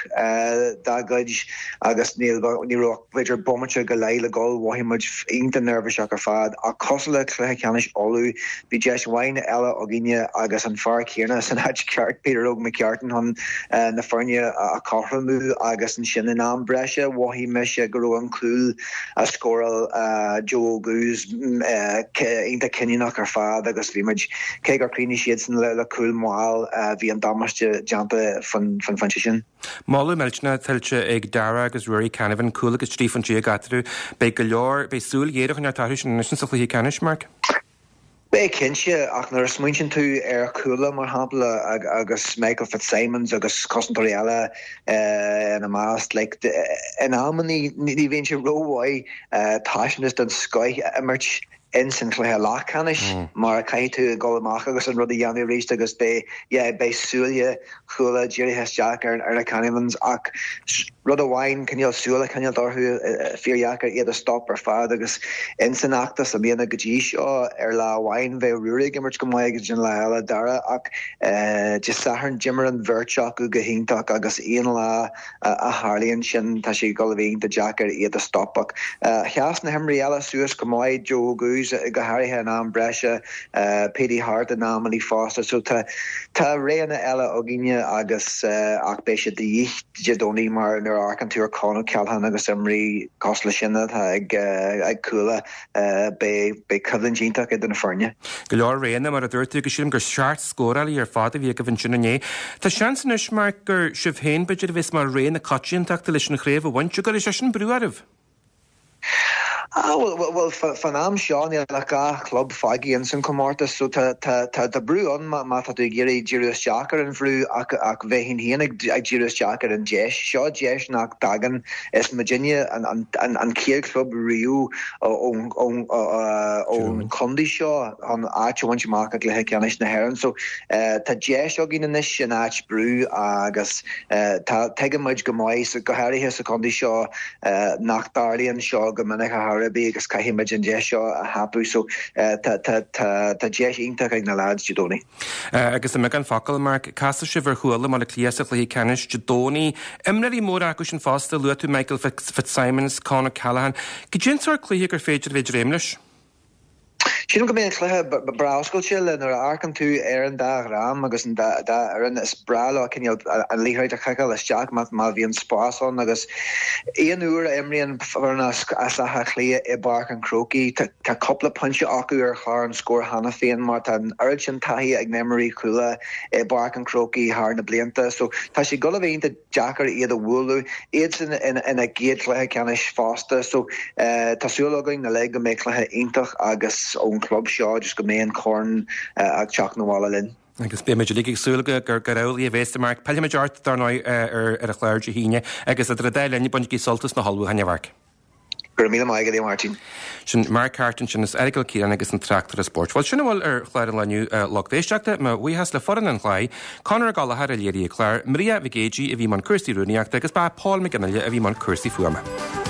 Speaker 12: dá gcuid agus ní raibh ach b'fhéidir bomaite go leith le dhul, mhothaigh muid iontach neirbhíseach ar fad. Ach cosúil le cluiche ceannais Uladh, bhí deis mhaith eile againne agus an fear céanna san áit cheart, Peter Óg McCartan, chun na foirne a chothromú agus ansin in am breise mhothaigh mise go raibh an cúl a scóráil Joe Oguz iontach cinniúnach ar fad agus bhí muid, cé gur chríochnaigh siadsan le cúl mall, bhí an damáiste déanta faoin phointe sin.
Speaker 1: Moladh millteanach tuillte ag Dara agus Ruairí Canavan, cúl agus 13 phointe eatarthu. Beidh go leor, beidh súil ghéar á coinneáil orthu sin anois sa chluiche ceannais, Mark.
Speaker 12: Beidh cinnte, ach nuair a smaointíonn tú ar Chuala, mar shampla, agus Michael Fitzsimons agus cosantóirí eile ina measc, like, in amannaí ní bhíonn sé rómhaith taispeántas den scoith a imirt ins an chluiche leathcheannais mar caithfidh tú dul amach agus an rud a dhéanamh arís agus beidh, yeah, beidh súile Chuala dírithe isteach ar na Canavans ach rud amháin, cineál súil a choinneáilt orthu, fíordheacair iad a stop ar fad agus ins an fheachtas i mbliana go dtí seo, ar lá amháin bheadh Ruairí ag imirt go maith agus ansin lá eile Dara ach Dé Sathairn d'imir an bheirt acu go hiontach agus aon lá a tharlaíonn sin tá sé ag dul a bheith iontach deacair iad a stop ach sheas na himreoirí eile suas go maith, Joe Oguz go háirithe in am breise. Petey Harte in amannaí fosta so tá tá roghanna eile againne agus ach beidh siad de dhíth Dé Domhnaigh mar nuair a amharcann tú ar Con O'Callaghan agus imreoirí cosúil leis sin atá ag ag Cuala beidh beidh coimhlint iontach idir na foirne.
Speaker 1: Go leor roghanna mar a dúirt tú agus sílim gur seacht scórálaí ar fad a bhí agaibh ansin inné. Tá seans anois Mark gur sibh féin b'fhéidir a bheas mar rogha na coitiantachta leis an chraobh a bhaint. An gcuirfidh sé sin brú oraibh?
Speaker 12: Ah, bhuel, bhuel, fán am seo níl ach 2 chlub fágtha ins an chomórtas so tá, tá, tá, tá brú ann má, má tá tú ag iarraidh díriú isteach ar an bhrú ach, ach bheinn féin ag, ag díriú isteach ar an deis. Seo deis nach dtagann. Is muidinne an, an, an, an chéad chlub riamh ón, ón, ón chontae seo chun áit a bhaint amach i gcluiche ceannais na hÉireann so tá deis againn anois in áit brú agus tá, tuigeann muid go maith, go háirithe sa chontae seo, nach dtarlaíonn seo go minic ar chor ar bith agus caithfidh muid an deis seo a thapú so tá tá tá tá deis iontach ag na lads Dé Domhnaigh.
Speaker 1: Agus i mbeagán focal, Mark, casfaidh sibh ar Chuala i mBaile Átha Cliath sa chluiche ceannais Dé Domhnaigh. Imreoirí móra acu sin fosta, luaigh tú Michael Fitzsimons, Con O'Callaghan. Cad é an sórt cluiche gur féidir a bheith ag dréim leis?
Speaker 12: Sílim go mbeidh an cluiche breá oscailte le nuair a amharcann tú ar an dá dhream agus an dá fhoireann is breá leo cineál an liathróid a chiceáil isteach má bhíonn spás ann agus aon uair a imríonn foireann as Áth Cliath i bPáirc an Chrócaigh tá cúpla pointe acu ar chlár an scóir cheana féin mar tá an oiread sin taithí ag na himreoirí Chuala i bPáirc an Chrócaigh thar na blianta so tá sé ag dul a bheith iontach deacair iad a bhualadh, iadsan ina gcéad chluiche ceannais fosta. So tá súil againn uilig go mbeidh cluiche iontach agus ón chlub seo just go mbeidh an corn ag teacht 'na bhaile linn.
Speaker 1: Agus beidh muid uilig ag súil gur amhlaidh a bheas, a Mharc. Pillfimid ort, dar ndóigh, ar an chlár Dé hAoine agus idir an dá linn, bainigí sult as na hullmhúcháin, a Mharc.
Speaker 12: Go raibh míle maith agat, a Mháirtín.
Speaker 1: Sin Mark Harte ansin as Aireagal Ciaráin agus an tráchtaire spóirt. Bhuel, sin a bhfuil ar chlár an lae inniu, a lucht éisteachta. Mo bhuíochas le foireann an chláir, Conor Ó Gallchóir a léirigh an clár, Maria Mhic Géidigh a bhí i mbun cúrsaí rúnaíochta agus ba é Paul McGinley a bhí i mbun cúrsaí fuaime.